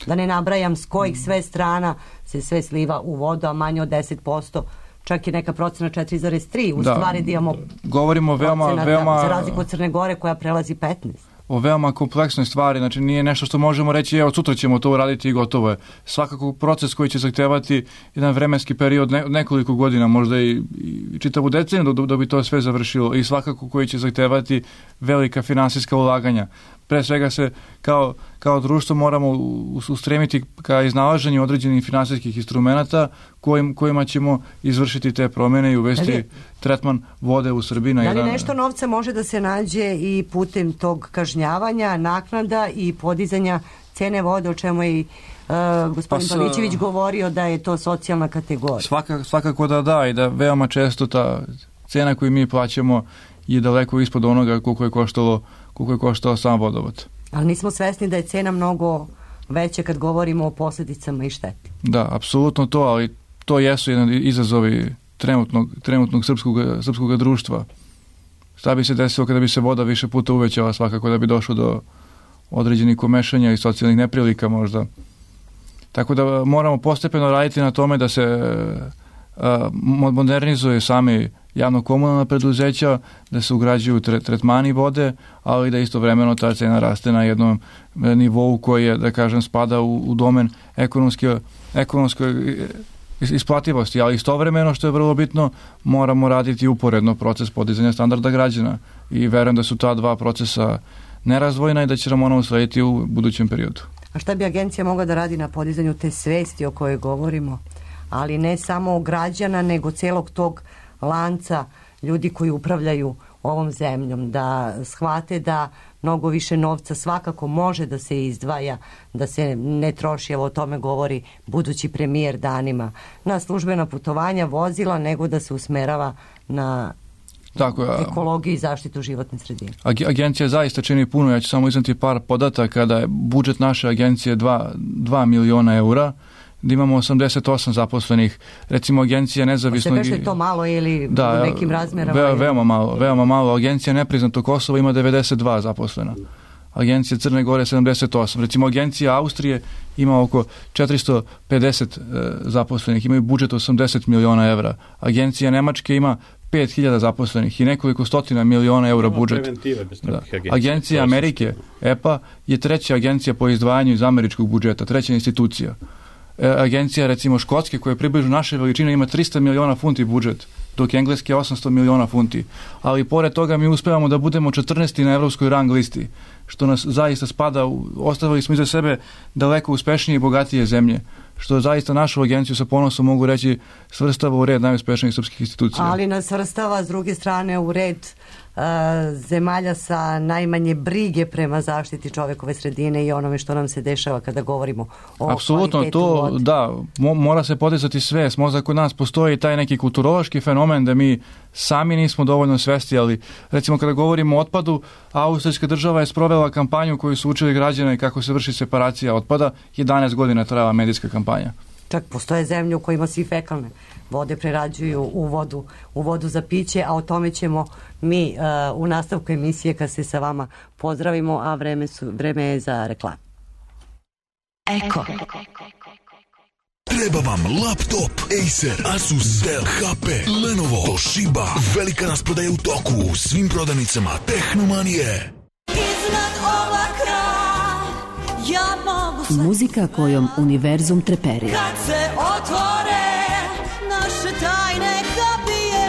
da ne nabrajam s kojih sve strana se sve sliva u vodu, a manje od deset posto. Čak je neka procena četiri zarez tri. U Da. stvari da imamo Govorimo veoma, procenata, veoma, za razliku od Crne Gore koja prelazi petnaest. o veoma kompleksnoj stvari, znači nije nešto što možemo reći evo sutra ćemo to uraditi i gotovo je. Svakako proces koji će zahtevati jedan vremenski period ne, nekoliko godina, možda i, i čitavu deceniju da, da bi to sve završilo i svakako koji će zahtevati velika finansijska ulaganja. Pre svega se kao, kao društvo moramo ustremiti ka iznalaženju određenih finansijskih instrumenata kojim, kojima ćemo izvršiti te promjene i uvesti Da li je- tretman vode u Srbiji na Da li jedan... nešto novca može da se nađe i putem tog kažnjavanja, naknada i podizanja cene vode, o čemu je i uh, gospodin Pa sa- Pavićević govorio da je to socijalna kategorija? Svaka, svakako da da i da veoma često ta cena koju mi plaćamo je daleko ispod onoga koliko je koštalo, koliko je koštao sam vodovod. Ali nismo svesni da je cena mnogo veća kad govorimo o posljedicama i šteti. Da, apsolutno to, ali to jesu jedan izazovi trenutnog, trenutnog srpskog, srpskog društva. Šta bi se desilo kada bi se voda više puta uvećala, svakako da bi došlo do određenih komešanja i socijalnih neprilika možda. Tako da moramo postepeno raditi na tome da se a, modernizuje sami javno-komunalna preduzeća, da se ugrađuju tre, tretmani vode, ali da istovremeno ta cena raste na jednom nivou koji je, da kažem, spada u, u domen ekonomske, ekonomske isplativosti, ali istovremeno, što je vrlo bitno, moramo raditi uporedno proces podizanja standarda građana i verujem da su ta dva procesa nerazvojna i da će nam ona uslediti u budućem periodu. A šta bi agencija mogla da radi na podizanju te svesti o kojoj govorimo? Ali ne samo građana, nego celog tog lanca ljudi koji upravljaju ovom zemljom, da shvate da mnogo više novca svakako može da se izdvaja, da se ne troši, evo o tome govori budući premijer danima, na službena putovanja, vozila, nego da se usmerava na Tako, a, ekologiju i zaštitu životne sredine. ag- agencija zaista čini puno, ja ću samo izneti par podataka, da je budžet naše agencije dva miliona eura, da imamo osamdeset osam zaposlenih. Recimo agencija nezavisnog... Se kaže je to malo ili da, u nekim razmerama? Ve, veoma malo, veoma malo. Agencija nepriznato Kosova ima devedeset dva zaposlena. Agencija Crne Gore sedamdeset osam. Recimo agencija Austrije ima oko četiristo pedeset e, zaposlenih, imaju budžet osamdeset miliona evra. Agencija Nemačke ima pet hiljada zaposlenih i nekoliko stotina miliona eura budžet. Da. Agencija Amerike, E P A, je treća agencija po izdvajanju iz američkog budžeta, treća institucija. E, agencija recimo Škotske, koja je približno naše veličine, ima tristo miliona funti budžet, dok engleski je osamsto miliona funti. Ali pored toga mi uspevamo da budemo četrnaesti na evropskoj rang listi, što nas zaista spada, u, ostavili smo iza sebe daleko uspešnije i bogatije zemlje, što zaista našu agenciju sa ponosom mogu reći svrstava u red najuspešnijih srpskih institucija. Ali nas svrstava s druge strane u red uh, zemalja sa najmanje brige prema zaštiti čovekove sredine i onome što nam se dešava kada govorimo o apsolutno, kvalitetu to, vode. da, mo, mora se podizati svest. Možda kod nas postoji taj neki kulturološki fenomen da mi sami nismo dovoljno svesti, ali recimo kada govorimo o otpadu, austrijska država je sprovela kampanju koju su učili građane kako se vrši separacija otpada. jedanaest godina trajala medijska kampanja. Čak postoje zemlje u kojima svi fekalne vode prerađuju u vodu, u vodu za piće, a o tome ćemo mi uh, u nastavku emisije kad se sa vama pozdravimo, a vreme, su, vreme je za reklamu. Eko. Treba vam laptop, Acer, Asus, Dell, H P, Lenovo, Toshiba. Velika rasprodaja u toku u svim prodavnicama Tehnomanije. Iznad oblaka ja mogu sve Muzika kojom univerzum treperi. kad se otvore naše tajne kapije.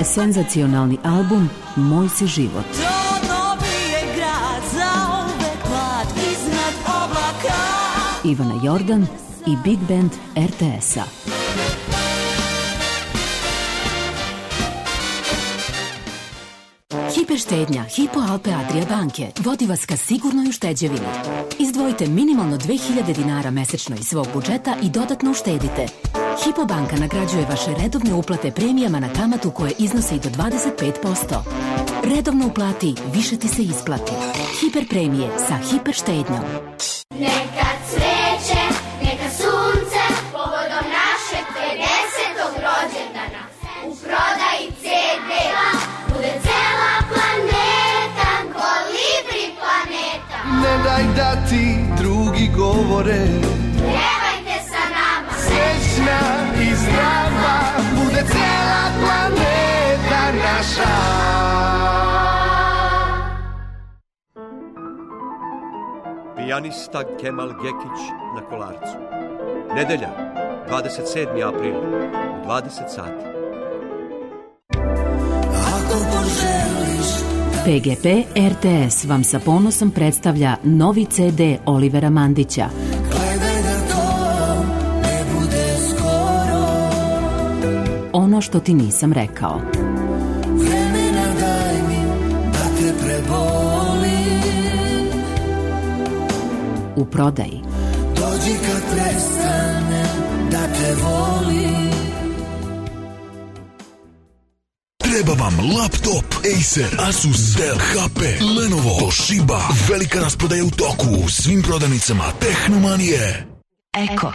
Senzacionalni album Moj si život. To dobije grad za uvek mlad iznad oblaka. Ivana Jordan i Big Band R T S-a. Hiperštednja Hypo Alpe Adria banke vodi vas ka sigurnoj ušteđevini. Izdvojite minimalno dve hiljade dinara mesečno iz svog budžeta i dodatno uštedite. Hypo banka nagrađuje vaše redovne uplate premijama na kamatu koje iznose i do dvadeset pet posto. Redovno uplati, više ti se isplati. Hiper premije sa hiper štednjom. Neka cveće, neka sunce, povodom našeg pedesetog rođendana. U prodaji ce de bude cela planeta, kolibri planeta. Ne daj da ti drugi govore, Pjevajte sa nama, srećna i zdrava, bude cela planeta naša. Pijanista Kemal Gekić na Kolarcu. Nedelja, dvadeset sedmi april, u dvadeset sati. Ako poželiš P G P R T S vam sa ponosom predstavlja novi ce de Olivera Mandića. gledaj da to ne bude skoro, Ono što ti nisam rekao. vremena daj mi da te prebolim, U prodaji. dođi kad prestane da te volim. Treba vam laptop, Acer, Asus, Dell, H P, Lenovo, Toshiba. Velika rasprodaja u toku u svim prodavnicama Tehnomanije. Eko.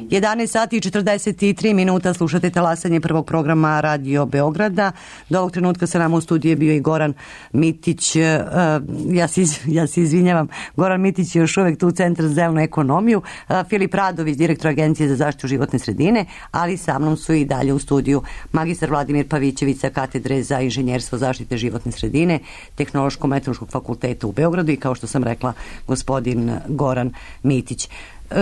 jedanaest sati i četrdeset tri minuta, slušate talasanje prvog programa Radio Beograda. Do ovog trenutka sa nama u studiju je bio i Goran Mitić. Uh, ja, se iz, ja se izvinjavam, Goran Mitić je još uvek tu u Centru za zelenu ekonomiju. Uh, Filip Radović, direktor Agencije za zaštitu životne sredine, ali sa mnom su i dalje u studiju magistar Vladimir Pavićević sa katedre za inženjerstvo zaštite životne sredine Tehnološko-meteorološkog fakulteta u Beogradu i, kao što sam rekla, gospodin Goran Mitić.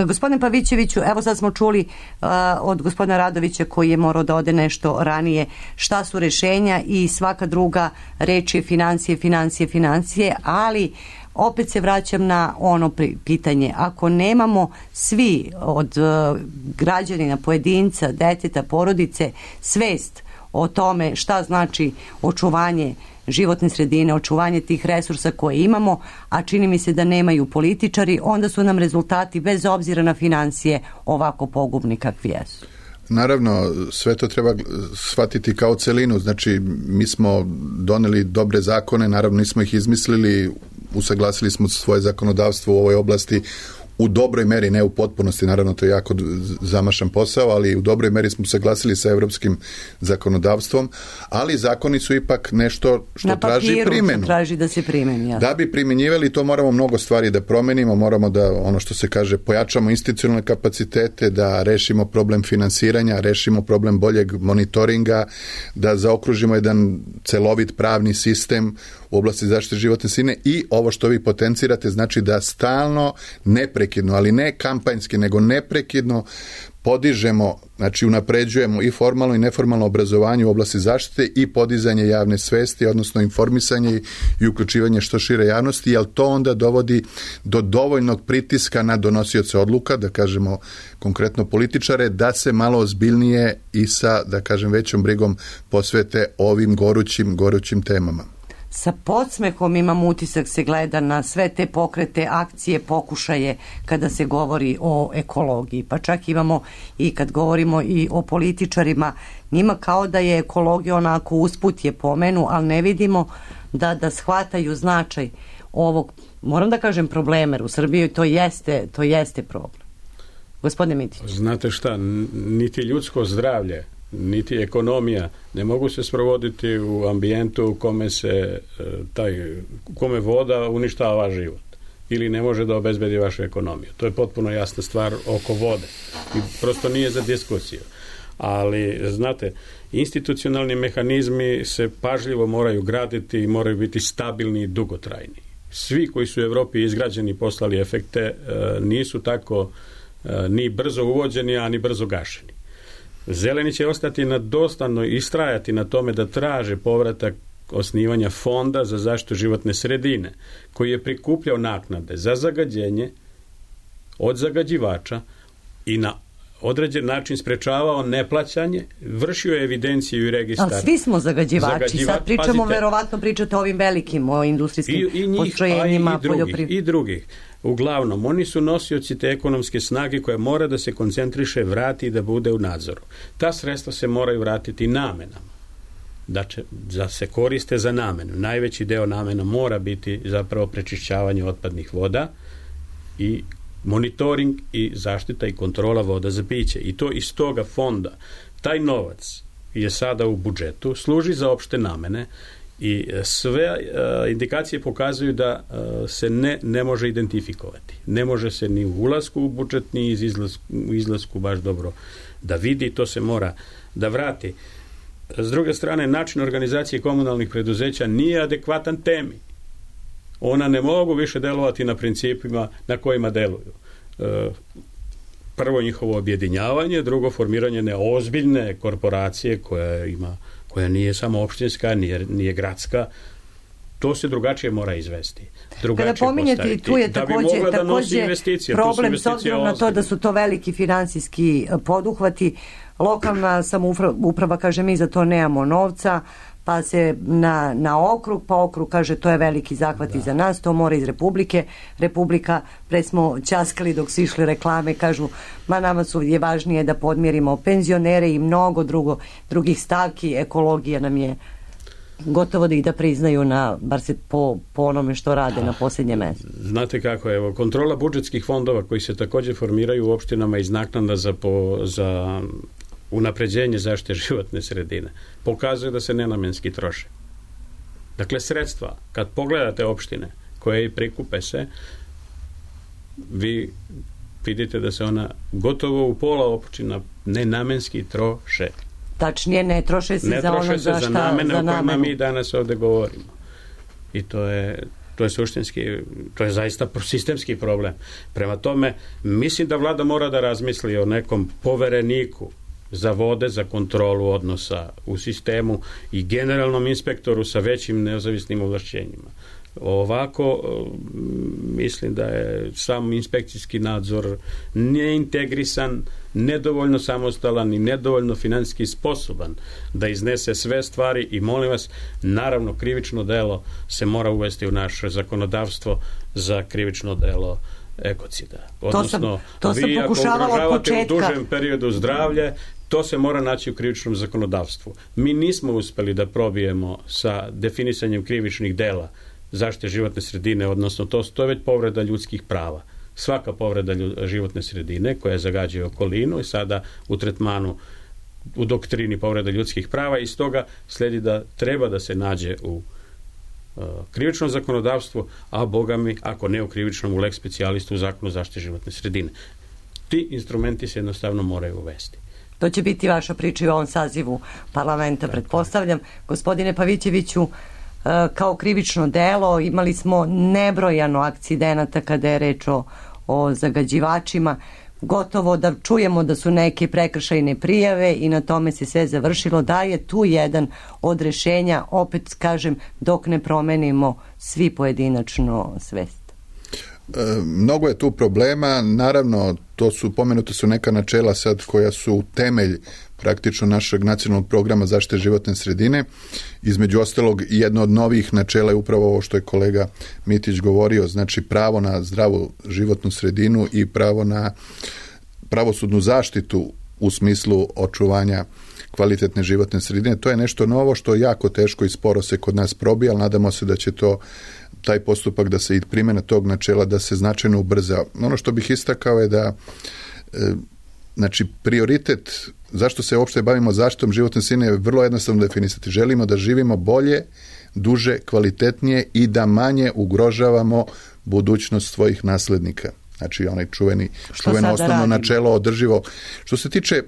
Gospodine Pavićeviću, evo sad smo čuli uh, od gospodina Radovića, koji je morao da ode nešto ranije, šta su rešenja, i svaka druga reč je financije, financije, financije, ali opet se vraćam na ono pitanje. Ako nemamo svi od uh, građanina, pojedinca, deteta, porodice svest o tome šta znači očuvanje životne sredine, očuvanje tih resursa koje imamo, a čini mi se da nemaju političari, onda su nam rezultati, bez obzira na financije, ovako pogubni kakvi jesu. Naravno, sve to treba shvatiti kao celinu. Znači, mi smo doneli dobre zakone, naravno nismo ih izmislili, usaglasili smo svoje zakonodavstvo u ovoj oblasti u dobroj meri, ne u potpunosti, naravno to je jako zamašan posao, ali u dobroj meri smo se glasili sa evropskim zakonodavstvom, ali zakoni su ipak nešto što na traži primjenu. Na traži da se primeni. Ja. Da bi primjenjivali, to moramo mnogo stvari da promenimo, moramo da, ono što se kaže, pojačamo institucionalne kapacitete, da rešimo problem finansiranja, rešimo problem boljeg monitoringa, da zaokružimo jedan celovit pravni sistem u oblasti zaštite životne sredine i ovo što vi potencirate, znači da stalno, neprekidno, ali ne kampanjski, nego neprekidno podižemo, znači unapređujemo i formalno i neformalno obrazovanje u oblasti zaštite i podizanje javne svesti, odnosno informisanje i uključivanje što šire javnosti, jer to onda dovodi do dovoljnog pritiska na donosioce odluka, da kažemo konkretno političare, da se malo ozbiljnije i sa, da kažem, većom brigom posvete ovim gorućim, gorućim temama. Sa podsmehom imam utisak se gleda na sve te pokrete, akcije, pokušaje kada se govori o ekologiji. Pa čak imamo i kad govorimo i o političarima, njima kao da je ekologija onako usput je pomenu, ali ne vidimo da, da shvataju značaj ovog, moram da kažem, problema, u Srbiji to jeste, to jeste problem. Gospodine Mitić. Znate šta, niti ljudsko zdravlje, niti ekonomija ne mogu se sprovoditi u ambijentu u kome se taj, u kome voda uništava život ili ne može da obezbedi vašu ekonomiju. To je potpuno jasna stvar oko vode i prosto nije za diskusiju. Ali, znate, institucionalni mehanizmi se pažljivo moraju graditi i moraju biti stabilni i dugotrajni. Svi koji su u Evropi izgrađeni i poslali efekte nisu tako ni brzo uvođeni, a ni brzo gašeni. Zeleni će ostati na dostanno i istrajati na tome da traže povratak osnivanja fonda za zaštitu životne sredine, koji je prikupljao naknade za zagađenje od zagađivača i na određen način sprečavao neplaćanje, vršio je evidenciju i registar. Ali svi smo zagađivači. Zagađivač, sad pričamo, pazite, verovatno pričate o ovim velikim, o industrijskim i, i njih, postrojenjima. I drugih, I drugih. Uglavnom, oni su nosioci te ekonomske snage koja mora da se koncentriše, vrati i da bude u nadzoru. Ta sredstva se moraju vratiti namenama. Da, će, da se koriste za namenu. Najveći deo namena mora biti zapravo prečišćavanje otpadnih voda i monitoring i zaštita i kontrola voda za piće. I to iz toga fonda. Taj novac je sada u budžetu, služi za opšte namene i sve uh, indikacije pokazuju da uh, se ne, ne može identifikovati. Ne može se ni u ulasku u budžet, ni iz izlasku, u izlasku baš dobro da vidi, to se mora da vrati. S druge strane, način organizacije komunalnih preduzeća nije adekvatan temi. Ona ne mogu više delovati na principima na kojima deluju. Uh, prvo njihovo objedinjavanje, drugo formiranje neozbiljne korporacije koja ima koja nije samo opštinska, nije, nije gradska, to se drugačije mora izvesti. Drugačije Kada pominjete, tu je takođe, da takođe problem s obzirom na to da su to veliki finansijski poduhvati. Lokalna samouprava kaže mi za to nemamo novca, pa se na, na okrug, pa okrug kaže to je veliki zahvat da. Za nas, to mora iz Republike. Republika, pre smo ćaskali dok su išli reklame, kažu ma nama su je važnije da podmirimo penzionere i mnogo drugo, drugih stavki, ekologija nam je gotovo da ih da priznaju na, bar se po, po onome što rade na posljednje mesto. Znate kako je, evo, kontrola budžetskih fondova koji se također formiraju u opštinama iz naknada za, po, za unapređenje zaštite životne sredine pokazuje da se nenamenski troše. Dakle, sredstva, kad pogledate opštine koje prikupe se, vi vidite da se ona gotovo u pola opština nenamenski troše. Tačnije, ne troše se ne za troše ono se za, za šta, namene za o kojima namenu. mi danas ovde govorimo. I to je to je suštinski, to je zaista sistemski problem. Prema tome, mislim da vlada mora da razmisli o nekom povereniku za vode, za kontrolu odnosa u sistemu i generalnom inspektoru sa većim nezavisnim ovlašćenjima. Ovako, mislim da je sam inspekcijski nadzor neintegrisan, nedovoljno samostalan i nedovoljno finansijski sposoban da iznese sve stvari i molim vas, naravno krivično delo se mora uvesti u naše zakonodavstvo za krivično delo ekocida. Odnosno, to sam, to sam vi ako ugrožavate u dužem periodu zdravlje, to se mora naći u krivičnom zakonodavstvu. Mi nismo uspeli da probijemo sa definisanjem krivičnih dela zaštite životne sredine, odnosno to, to je već povreda ljudskih prava. svaka povreda lju- životne sredine koja zagađuje okolinu i sada u tretmanu u doktrini povreda ljudskih prava i stoga slijedi da treba da se nađe u uh, krivičnom zakonodavstvu, a boga mi, ako ne u krivičnom, u lex specialistu u zakonu zaštite životne sredine. Ti instrumenti se jednostavno moraju uvesti. To će biti vaša priča i u ovom sazivu parlamenta, pretpostavljam. Gospodine Pavićeviću, kao krivično delo imali smo nebrojano akcidenata kada je reč o, o zagađivačima, gotovo da čujemo da su neke prekršajne prijave i na tome se sve završilo. Da je tu jedan od rešenja, opet kažem, dok ne promenimo svi pojedinačno svest. E, mnogo je tu problema, naravno to su, pomenute su neka načela sad koja su temelj praktično našeg nacionalnog programa zaštite životne sredine. Između ostalog, jedno od novih načela je upravo ovo što je kolega Mitić govorio, znači pravo na zdravu životnu sredinu i pravo na pravosudnu zaštitu u smislu očuvanja kvalitetne životne sredine. To je nešto novo što je jako teško i sporo se kod nas probija, ali nadamo se da će to taj postupak da se i primjena tog načela da se značajno ubrza. Ono što bih istakao je da e, znači prioritet zašto se uopšte bavimo zaštitom životne sredine je vrlo jednostavno definisati. Želimo da živimo bolje, duže, kvalitetnije i da manje ugrožavamo budućnost svojih naslednika. Znači onaj čuveni, čuveno osnovno radimo? Načelo održivo. Što se tiče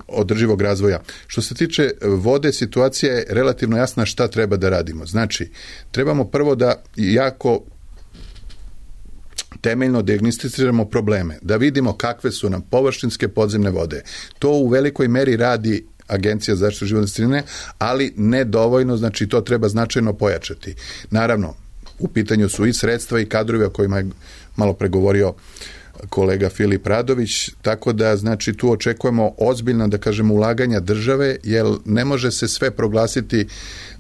održivog razvoja. Što se tiče vode, situacija je relativno jasna šta treba da radimo. Znači, trebamo prvo da jako temeljno dijagnosticiramo probleme, da vidimo kakve su nam površinske podzemne vode. To u velikoj meri radi Agencija za zaštitu životne sredine, ali ne dovoljno, znači to treba značajno pojačati. Naravno, u pitanju su i sredstva i kadrovi o kojima je malo pregovorio kolega Filip Radović, tako da znači tu očekujemo ozbiljno, da kažemo, ulaganja države, jer ne može se sve proglasiti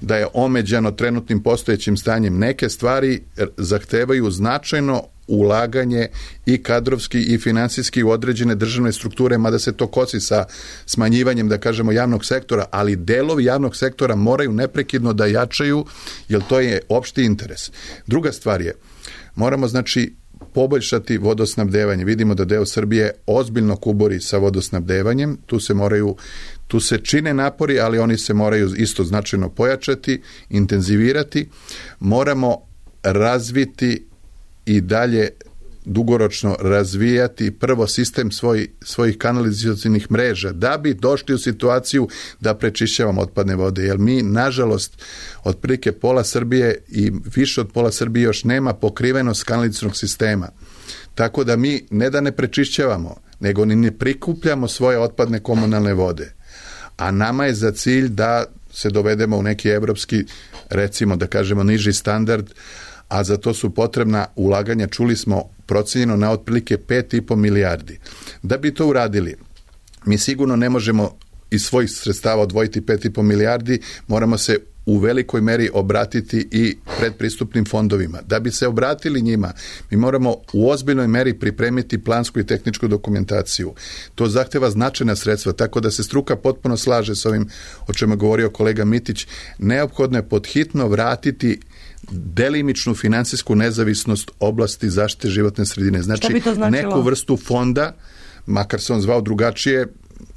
da je omeđano trenutnim postojećim stanjem. Neke stvari zahtevaju značajno ulaganje i kadrovski i financijski u određene državne strukture, mada se to kosi sa smanjivanjem, da kažemo, javnog sektora, ali delovi javnog sektora moraju neprekidno da jačaju, jer to je opšti interes. Druga stvar je, moramo znači poboljšati vodosnabdevanje. Vidimo da deo Srbije ozbiljno kuburi sa vodosnabdevanjem, tu se moraju, tu se čine napori, ali oni se moraju isto značajno pojačati, intenzivirati. Moramo razviti i dalje dugoročno razvijati prvo sistem svoj, svojih kanalizacionih mreža da bi došli u situaciju da prečišćavamo otpadne vode, jer mi nažalost otprilike pola Srbije i više od pola Srbije još nema pokrivenost kanalizacionog sistema. Tako da mi ne da ne prečišćavamo, nego ni ne prikupljamo svoje otpadne komunalne vode. A nama je za cilj da se dovedemo u neki evropski, recimo da kažemo niži standard, a za to su potrebna ulaganja, čuli smo, procenjeno na otprilike pet i po milijardi. Da bi to uradili, mi sigurno ne možemo iz svojih sredstava odvojiti pet i po milijardi, moramo se u velikoj meri obratiti i predpristupnim fondovima. Da bi se obratili njima, mi moramo u ozbiljnoj meri pripremiti plansku i tehničku dokumentaciju. To zahteva značajna sredstva, tako da se struka potpuno slaže s ovim o čemu je govorio kolega Mitić. Neophodno je podhitno vratiti delimičnu finansijsku nezavisnost oblasti zaštite životne sredine. Znači, neku vrstu fonda, makar se on zvao drugačije,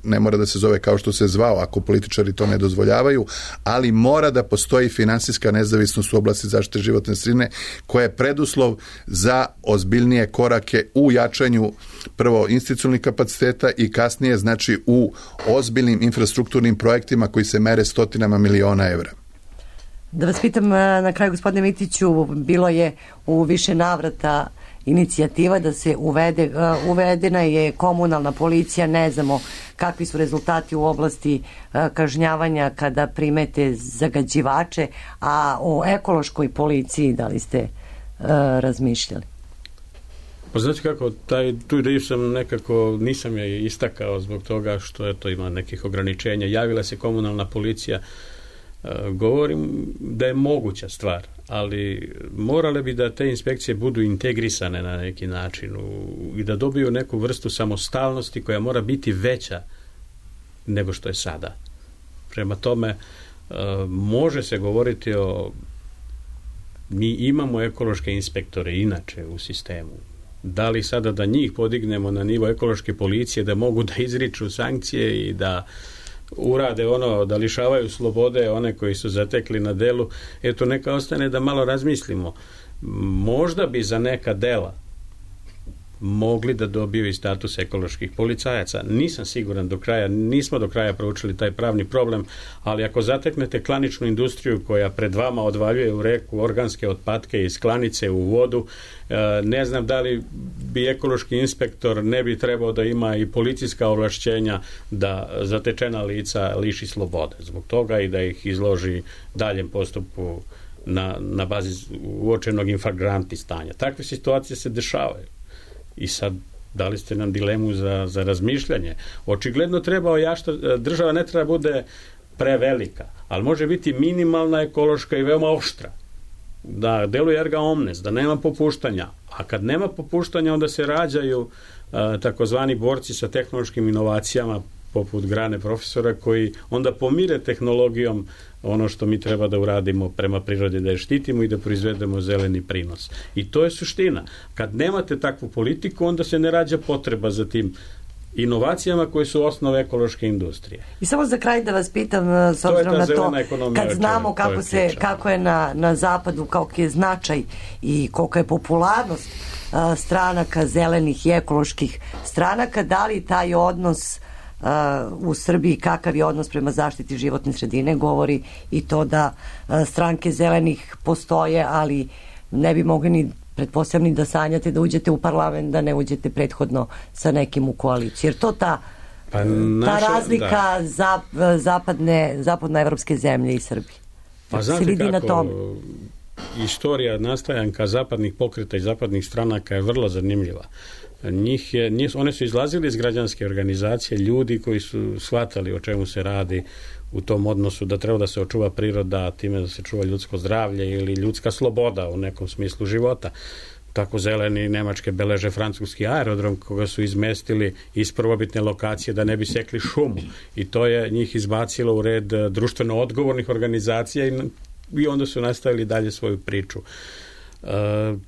ne mora da se zove kao što se zvao ako političari to ne dozvoljavaju, ali mora da postoji finansijska nezavisnost u oblasti zaštite životne sredine koja je preduslov za ozbiljnije korake u jačanju prvo institucionalnih kapaciteta i kasnije znači u ozbiljnim infrastrukturnim projektima koji se mere stotinama miliona evra. Da vas pitam na kraju, gospodine Mitiću, bilo je u više navrata inicijativa da se uvede, uvedena je komunalna policija, ne znamo kakvi su rezultati u oblasti kažnjavanja kada primete zagađivače, a o ekološkoj policiji da li ste uh, razmišljali? Pa znači kako, taj, tu ideju sam nekako, nisam je istakao zbog toga što eto, ima nekih ograničenja. Javila se komunalna policija, govorim da je moguća stvar, ali morale bi da te inspekcije budu integrisane na neki način u, i da dobiju neku vrstu samostalnosti koja mora biti veća nego što je sada. Prema tome, može se govoriti o... Mi imamo ekološke inspektore inače u sistemu. Da li sada da njih podignemo na nivo ekološke policije, da mogu da izriču sankcije i da urade ono, da lišavaju slobode one koji su zatekli na delu, eto neka ostane da malo razmislimo. Možda bi za neka dela mogli da dobiju i status ekoloških policajaca. Nisam siguran do kraja, nismo do kraja proučili taj pravni problem, ali ako zateknete klaničnu industriju koja pred vama odvaljuje u reku organske otpadke iz klanice u vodu, ne znam da li bi ekološki inspektor ne bi trebao da ima i policijska ovlašćenja da zatečena lica liši slobode zbog toga i da ih izloži daljem postupku na, na bazi uočenog infragranti stanja. Takve situacije se dešavaju. I sad, dali ste nam dilemu za, za razmišljanje. Očigledno treba ojašta, država ne treba bude prevelika, ali može biti minimalna, ekološka i veoma oštra. Da deluje erga omnes, da nema popuštanja. A kad nema popuštanja, onda se rađaju a, takozvani borci sa tehnološkim inovacijama, poput Grane profesora, koji onda pomire tehnologijom ono što mi treba da uradimo prema prirodi, da je štitimo i da proizvedemo zeleni prinos. I to je suština. Kad nemate takvu politiku, onda se ne rađa potreba za tim inovacijama koje su osnove ekološke industrije. I samo za kraj da vas pitam, s obzirom na to, kad znamo kako, se, kako je na, na zapadu, kako je značaj i koliko je popularnost a, stranaka, zelenih i ekoloških stranaka, da li taj odnos Uh, u Srbiji, kakav je odnos prema zaštiti životne sredine, govori i to da uh, stranke zelenih postoje, ali ne bi mogli ni pretpostavljeni da sanjate da uđete u parlament, da ne uđete prethodno sa nekim u koaliciju. Jer to ta, pa naša, ta razlika da. zap, zapadne, zapadnoevropske zemlje i Srbije. Pa znate kako istorija nastajanka zapadnih pokreta i zapadnih stranaka je vrlo zanimljiva. Njih je, njih, one su izlazili iz građanske organizacije, ljudi koji su shvatali o čemu se radi u tom odnosu, da treba da se očuva priroda, time da se čuva ljudsko zdravlje ili ljudska sloboda u nekom smislu života. Tako zeleni Nemačke beleže francuski aerodrom koga su izmestili iz prvobitne lokacije da ne bi sekli šumu. I to je njih izbacilo u red društveno odgovornih organizacija i, i onda su nastavili dalje svoju priču. Uh,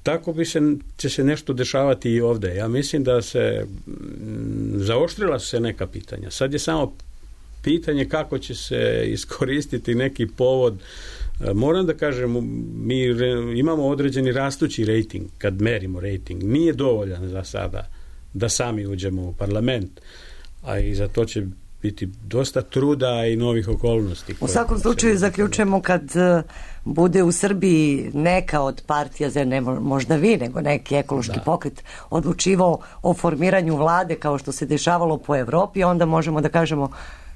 tako bi se, će se nešto dešavati i ovde. Ja mislim da se m, zaoštrila su se neka pitanja. Sad je samo pitanje kako će se iskoristiti neki povod. Uh, moram da kažem, mi re, imamo određeni rastući rejting, kad merimo rejting. Nije dovoljan za sada da sami uđemo u parlament, a i za to će biti dosta truda i novih okolnosti. U svakom slučaju zaključujemo kad uh, bude u Srbiji neka od partija, ne možda vi, nego neki ekološki da. pokret odlučivao o formiranju vlade kao što se dešavalo po Evropi, onda možemo da kažemo,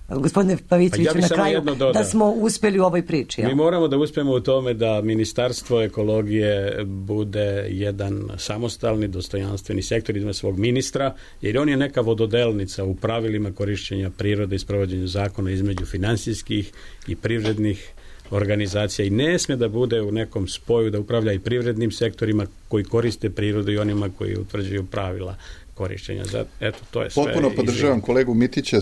gospodine Pavićeviću, pa ja na kraju da smo uspeli u ovoj priči. Mi moramo da uspemo u tome da Ministarstvo ekologije bude jedan samostalni, dostojanstveni sektor, ima svog ministra, jer on je neka vododelnica u pravilima korišćenja prirode i sprovođenja zakona između finansijskih i privrednih organizacija i ne sme da bude u nekom spoju da upravlja i privrednim sektorima koji koriste prirodu i onima koji utvrđuju pravila korišćenja. Eto, to je sve. Potpuno podržavam kolegu Mitića,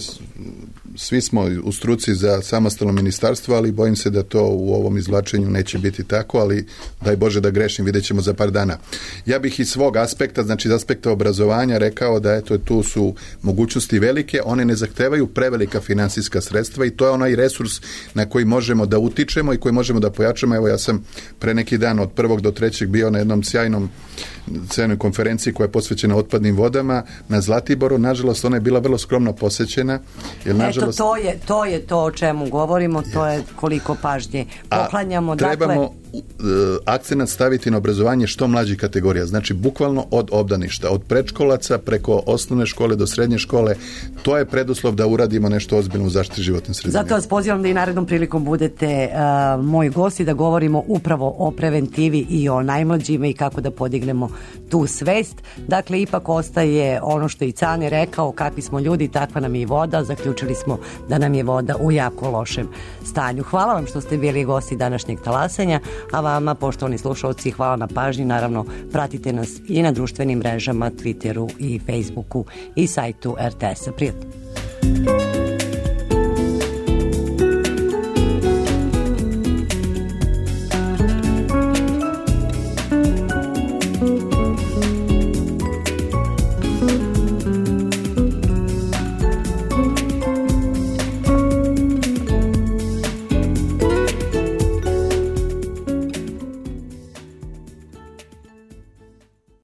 svi smo u struci za samostalno ministarstvo, ali bojim se da to u ovom izvlačenju neće biti tako, ali daj Bože da grešim, vidjet ćemo za par dana. Ja bih iz svog aspekta, znači iz aspekta obrazovanja rekao da eto, tu su mogućnosti velike, one ne zahtevaju prevelika finansijska sredstva i to je onaj resurs na koji možemo da utičemo i koji možemo da pojačamo. Evo ja sam pre neki dan od prvog do trećeg bio na jednom sjajnom sjajnoj konferenciji koja je posvećena otpadnim vodama na Zlatiboru. Nažalost, ona je bila vrlo skromno posećena. Jer, nažalost, Eto, to je, to je to o čemu govorimo, to je koliko pažnje poklanjamo. A trebamo dakle, akcenat staviti na obrazovanje što mlađih kategorija, znači bukvalno od obdaništa, od predškolaca preko osnovne škole do srednje škole. To je preduslov da uradimo nešto ozbiljno u zaštiti životne sredine. Zato vas pozivam da i narednom prilikom budete uh, moji gosti, da govorimo upravo o preventivi i o najmlađima i kako da podignemo tu svest. Dakle, ipak ostaje ono što i Cane rekao, kakvi smo ljudi, takva nam je i voda. Zaključili smo da nam je voda u jako lošem stanju. Hvala vam što ste bili gosti današnjeg talasanja, a vama, poštovani slušalci, hvala na pažnji. Naravno, pratite nas i na društvenim mrežama, Twitteru i Facebooku i sajtu er te es-a. Prijatno.